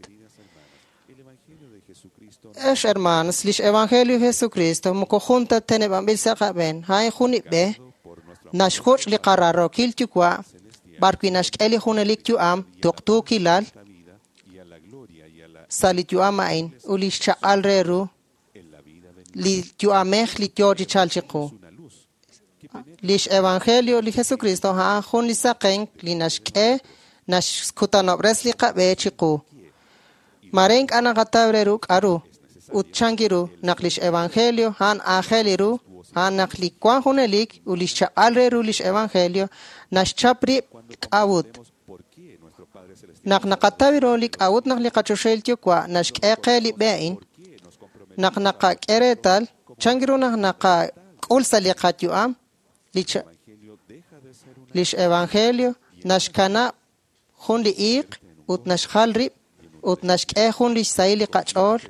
Speaker 11: Ex hermanos, lix evangelio Jesucristo moko jun ta teneb'anb'il sa' qab'een, a'in jun ib'e naxjuch' li qararokil yuwa' b'ar wi' naxk'e li junelik yu'am tuqtuukilal sa' li yu'am a'in ut li xchaq'al re ru li yu'amej li yoo chi chalk chiqu. Lix evangelio li Jesucristo a'an jun li saqenk li naxk'e naxkutanob'res li qab'e chiqu. Mare ink'a' naqataw re ru k'aru ut chanki ru naq lix evangelio a'an aajel ru a'an naq li wan junelik ut lix chaq'al re ru lix evangelio naxchap rib' k'a'ut. Naq naqataw ru li k'a'ut naq li qachoxahil yuwa' naxk'e qe li b'e a'in, naq naqak'e reetal chanki ru naq naqak'ul sa' li qayu'am lix evangelio naxkanab' jun li iiq ut naxjal rib' ut naxk'e jun lix sahil li qach'ool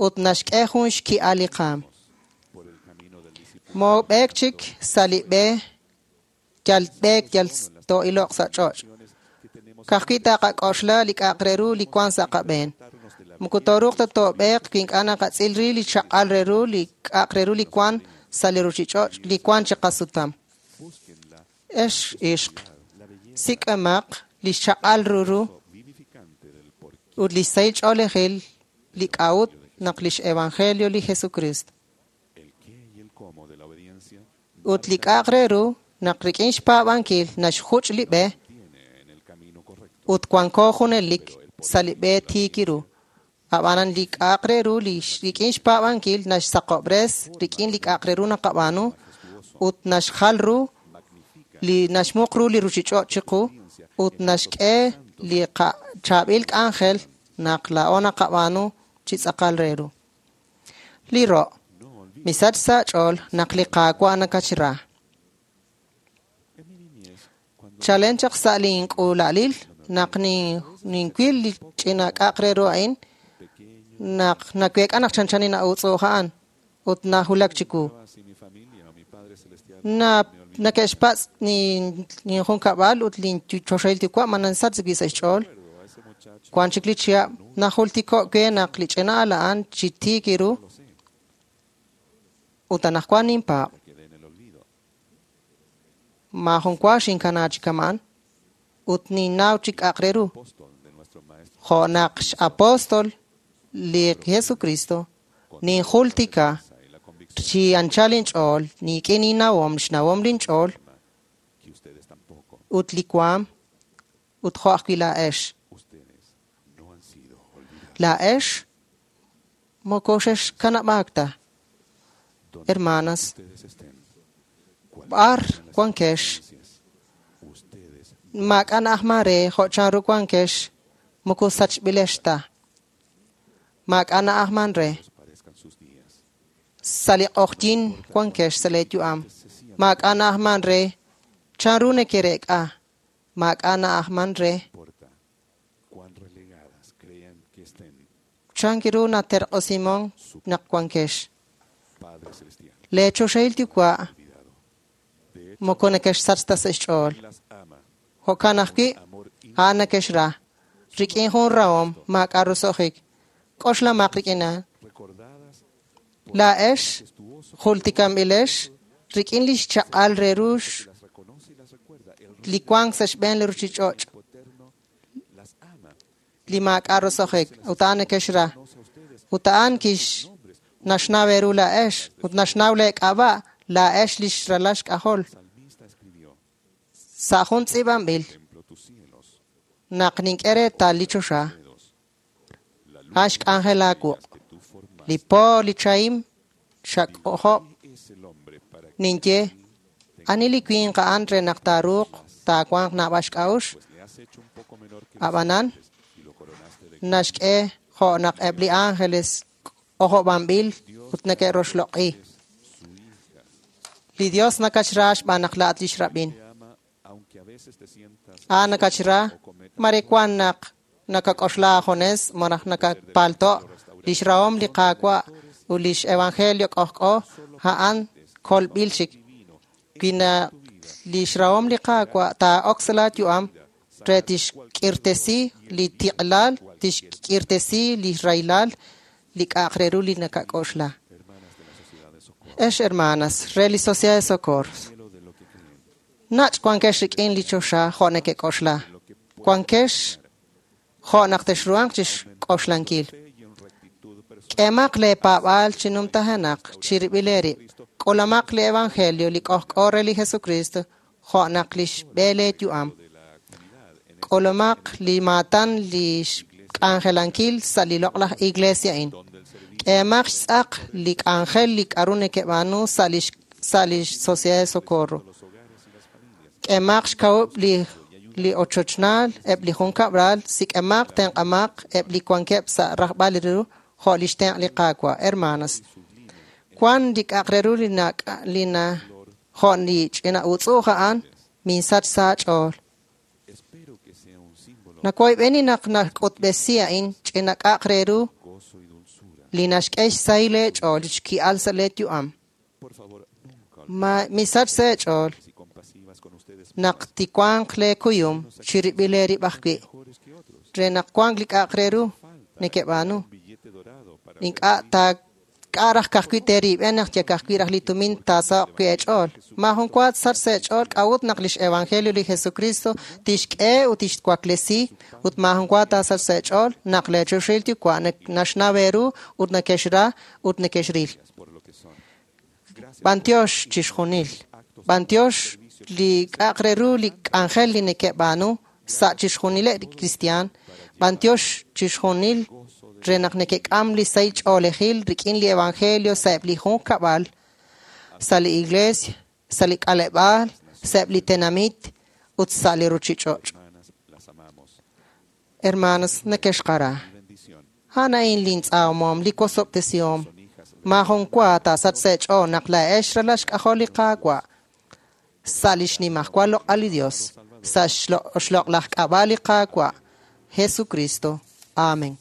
Speaker 11: ut naxk'e jun xki'al li qaam. Moob'eek chik sa' li b'e yal b'eek yal too'iloq sa' ch'och'. Ka'ajwi' taqak'oxla li k'a'aq re ru li wan sa' qab'een. Moko tooruuq ta toob'eeq wi ink'a' naqatz'il ri li chaq'al re ru li k'a'aq re ru li wan sa' li ruchich'och' li wan chi qasutam. Ex ixq, sik'emaq li xchaq'al ru ru ut li sahil ch'oolejil li k'a'ut naq lix evangelio li Jesucristo. Ut li k'a'aq re ru naq rik'in xpaab'ankil naxjuch' li b'e ut wanko junelik sa' li b'e tiik ru. Ab'anan li k'a'aq re ru li rik'in xpaab'ankil naxsaqob'res rik'in li k'a'aq re ru naqab'aanu ut naxjal ru li naxmuq ru li ruchich'och' chiqu ut naxk'e li chaab'il k'anjel naq laa'o naqab'aanu chi tz'aqal re ru. Li ro' misach sa' ch'ool naq li Qaawa' nakachra. Chalen chaq sa' link'uula'alil naq ninwil li ch'ina k'a'aq re ru a'in, naq naweek'a naq chanchan nina'utz'u'uj a'an ut najulak chiwu. Neke'xpatz' ninjunkab'al ut linchoxahil yuwa' ma nansach wi' sa' xch'ool. Wan chik li chihab' najultiko' we naq li ch'ina al a'an chi tiik ru ut anaqwan ninpaab'. Maajun wa xinkana chi kama'an ut ninnaw chi k'a'aq re ru. Jo' naq x'apóstol li Jesucristo ninjultika chi anchal inch'ool niik'in innawom xnawom linch'ool ut li waam ut jo' ajwi' laa'ex. Laa'ex moko xexkanab'aak ta. Hermanas, b'ar wankex maak'a' na'ajman re jo' chanru wankex moko sachb'ilex ta. Maak'a' na'ajman re. Sa' li q'oqyin wankex sa' leeyu'am. Maak'a' na'ajman re chanru nekereek'a. Maak'a' na'ajman re. Chan ru naterq'osimon naq wankex. Leechoxahil yuwa' moko nekexsach ta sa' xch'ool. Jo'kan ajwi' a'an nekexra. Rik'in jun rahom maak'a' roso'jik. K'oxlamaq rik'in a'an. Laa'ex jultikanb'ilex rik'in li xchaq'al re ru li wank sa' xb'een li ruchich'och' li maak'a' roso'jik ut a'an nekexra. Ut a'an kix naxnaw eeru laa'ex ut naxnaw leek'ab'a' laa'ex li xralal xk'ajol. Sa' jun tz'iib'anb'il naq nink'e reetal li choxa a'an xk'anjel aawuq'. Li po li chahim xak'ojob' ninye ani li winq a'an re naq taaruuq taawanq naab'al xk'a'uxl. Ab'anan naxk'e jo' naq eb' li ángeles k'ojob'anb'il ut neke'roxloq'i. Li Dios nakachra xb'aan naq laa'at lix rab'in. A'an nakachra mare wan naq nakak'oxla ajones malaj nakapalto' lix rahom li Qaawa' ut lix evangelio k'ojk'o a'an kolb'il chik. Wi lix rahom li Qaawa' taa'ok sa' laayu'am re tixk'irtesi li tiq'lal, tixk'irtesi li rahilal li k'a'aq re ru li nakak'oxla. Ex hermanas, re li Sociedad de Socorro, nach' wankex rik'in li choxa jo' nekek'oxla. Wankex jo' naq texruhanq chixk'oxlankil. K'emaq leepaab'aal chi numtajenaq chirib'il eerib'. K'ulamaq li evangelio li k'ojk'o re li Jesucristo jo' naq lix b'e leeyu'am. K'ulamaq li maatan li xk'anjelankil sa' li loq'laj iglesia a'in. K'emaq xtz'aq li k'anjel li k'aru nekeb'aanu sa' li Sociedad de Socorro. K'emaq xkawub' li ochochnaal, eb' li junkab'al, sik'emaq tenq'amaq eb' li wankeb' sa' rajb'al ru jo' li xtenq' li Qaawa'. Hermanas, wan li k'a'aq re ru li na jo' li ch'ina utz'u'uj a'an minsach sa' aach'ool. Nawoyb'eni naq nak'utb'esi a'in ch'ina k'a'aq re ru li naxk'e xsahil leech'ool xki'al sa' leeyu'am. Misach sa' eech'ool naq tiwanq leekuyum chirib'il eerib' ajwi' re naq wank li k'a'aq re ru nekeb'aanu. Ink'a' k'a' raj ka'ajwi' teerib'en naq yakajwi' raj li tumin taasaho'q wi' eech'ool. Maajun wa tsach sa' eech'ool k'a'ut naq lix evangelio li Jesucristo tixk'e ut tixwaklesi ut maajun wa taasach sa' eech'ool naq leechoxahil yuwa' naxnaw eeru ut nekexra ut nekexril. B'antiox chixjunil. B'antiox li k'a'aq re ru li k'anjel li nekeb'aanu sa' chixjunileb' li kristiaan. B'antiox chixjunil re naq nekek'am li sahil ch'oolejil rik'in li evangelio sa'eb' li junkab'al, sa' li iglesia, sa' li k'aleb'aal, sa'eb' li tenamit ut sa' li ruchich'och'. Hermanos, nekexqara. A'an a'in lintz'aamom, li wosob'tesihom. Maajun wa taasach sa' eech'ool naq laa'ex ralal xk'ajol li Qaawa' sa' li xnimajwal loq'al li Dios. Sa' xloq'laj k'ab'a' li Qaawa', Jesucristo. Amen.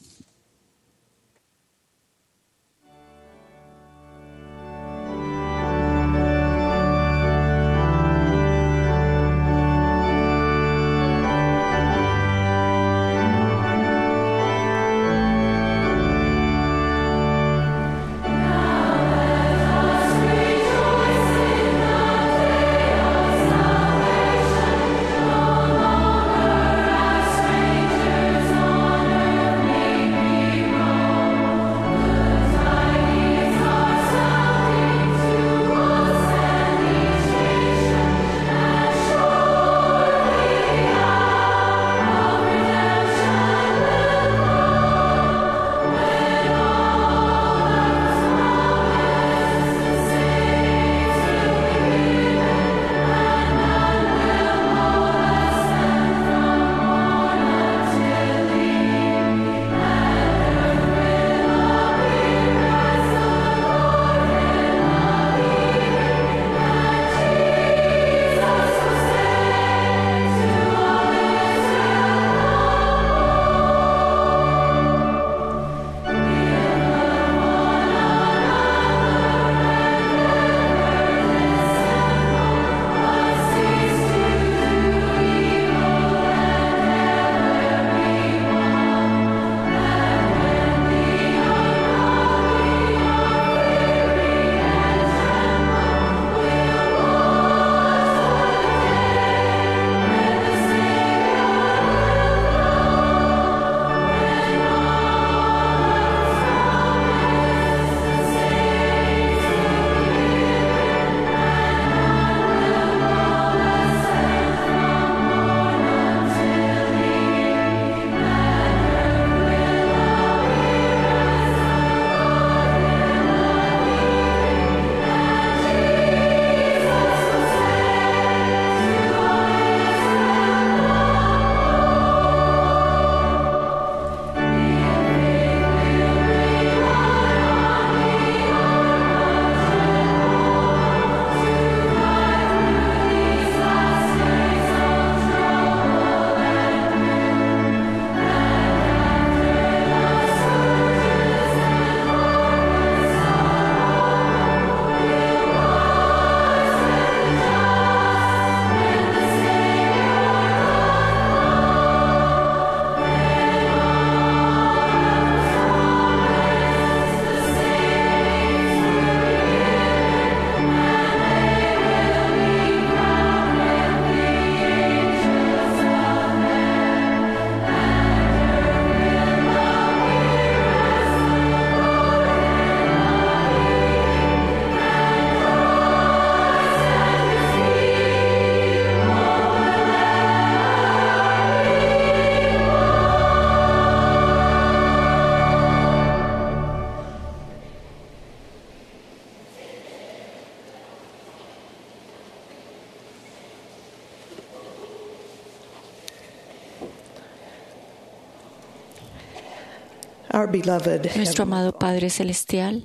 Speaker 12: Our beloved
Speaker 8: Nuestro amado Padre Celestial,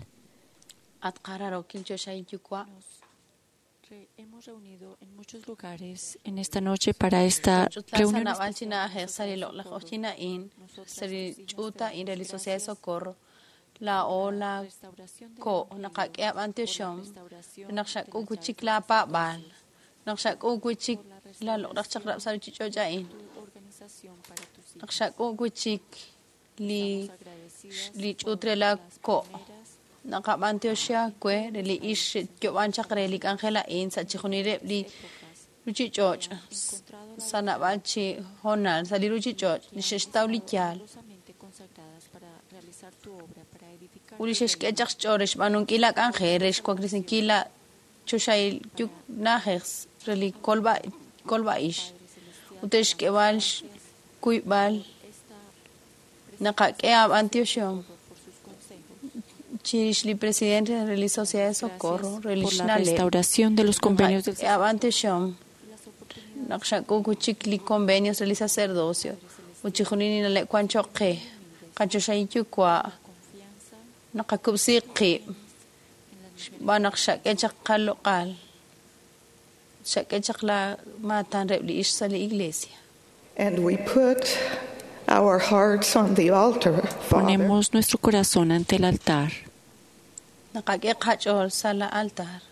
Speaker 8: hemos reunido en muchos lugares en esta noche para esta reunión.
Speaker 3: La ola ko naqak'e ab'antioxom naqxak'ukuchik la pa'b'al naqxak'ukuchik la loq'laj chaqrab' sa ruchich'och' naqxak'ukuchik li li ch'uut re la ko' naqab'antioxej we re li ix yo'b'an chaq re li k'anjel a'in sa' chijunileb' li ruchich'och' sa' nab'al chi hoonal sa' li ruchich'och' li xe'xtaw li yaal ut li xe'xk'e chaq xch'ool re xb'aanunkil la k'anjel re xwaklesinkil la choxahil na'ajej re li kolb'a'ix ut re xk'eeb'al xkuyb'al naqak'e ab'antioxom chirix li presidente re li Sociedad de Socorro re li
Speaker 8: por la
Speaker 3: xna'leb'
Speaker 8: restauración de los convenios del
Speaker 3: ab'antioxom naq xak'ukuchik li convenios re li sacerdocio ut chijunil li na'leb' wan choq' qe qachoxahil yuwa' naqakub'si qib' xb'aan naq xak'e chaq qaloq'al Xak'e chaq la maatan reheb' li ixq sa' li iglesia.
Speaker 12: And we put our hearts on the altar, Father.
Speaker 8: Ponemos nuestro corazón ante el altar.
Speaker 3: Naqak'e qach'ool sa' la altar.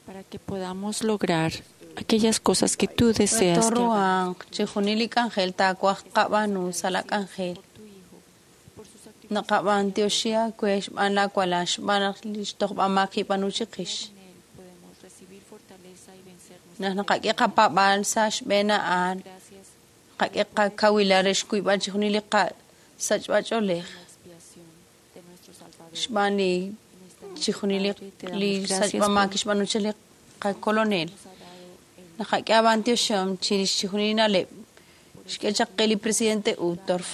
Speaker 8: Para que podamos lograr aquellas cosas que tú deseas que hagamos.
Speaker 3: Toruanq chijunil li k'anjel taawaj qab'aanu sa' la k'anjel. Naqab'antioxi aawe xb'aan laawalal xb'aan naq li xtojb'amaak kib'aanu chiqix. Naq naqak'e qapaab'aal sa' xb'een a'an, naqak'e qakawilal re xkuyb'al chijunil li qasachb'ach'oolej xb'aan li chijunil li sachb'amaak kixb'aanu chaq li qakolonel. Naqak'e ab'antioxihom chirix chijunil li na'leb' xk'e chaq qe li presidente Uchtdorf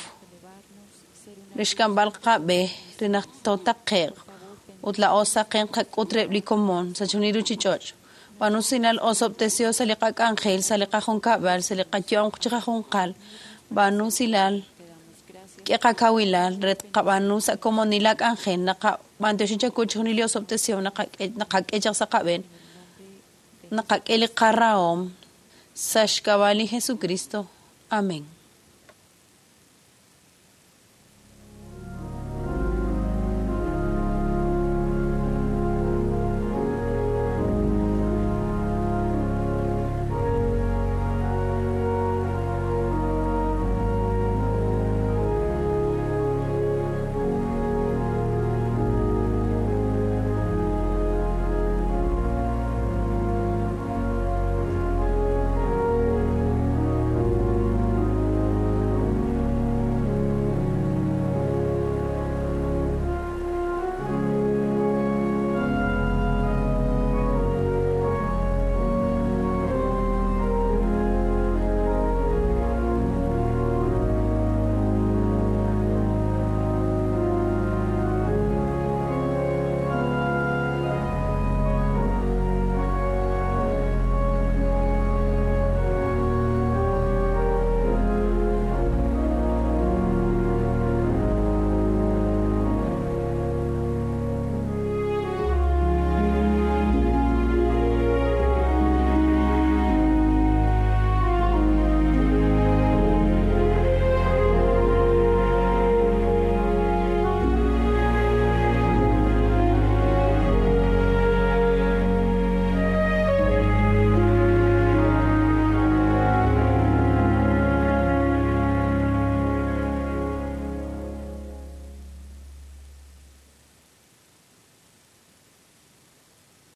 Speaker 3: re xk'amb'al qab'e re naq tootaqe'q ut laa'o saqen qak'ut reheb' li komon sa' chijunil ruchich'och'. B'aanu usilal osob'tesihom sa' li qak'anjel, sa' li qajunkab'al, sa' li qayu'am chiqajunqal. B'aanu usilal k'e qakawilal re tqab'aanu sa' komonil la k'anjel naqab'antioxi chawu chijunil li osob'tesihom naqak'e chaq sa' qab'een. Naqak'e li qarahom sa' xk'ab'a' li Jesucristo. Amén.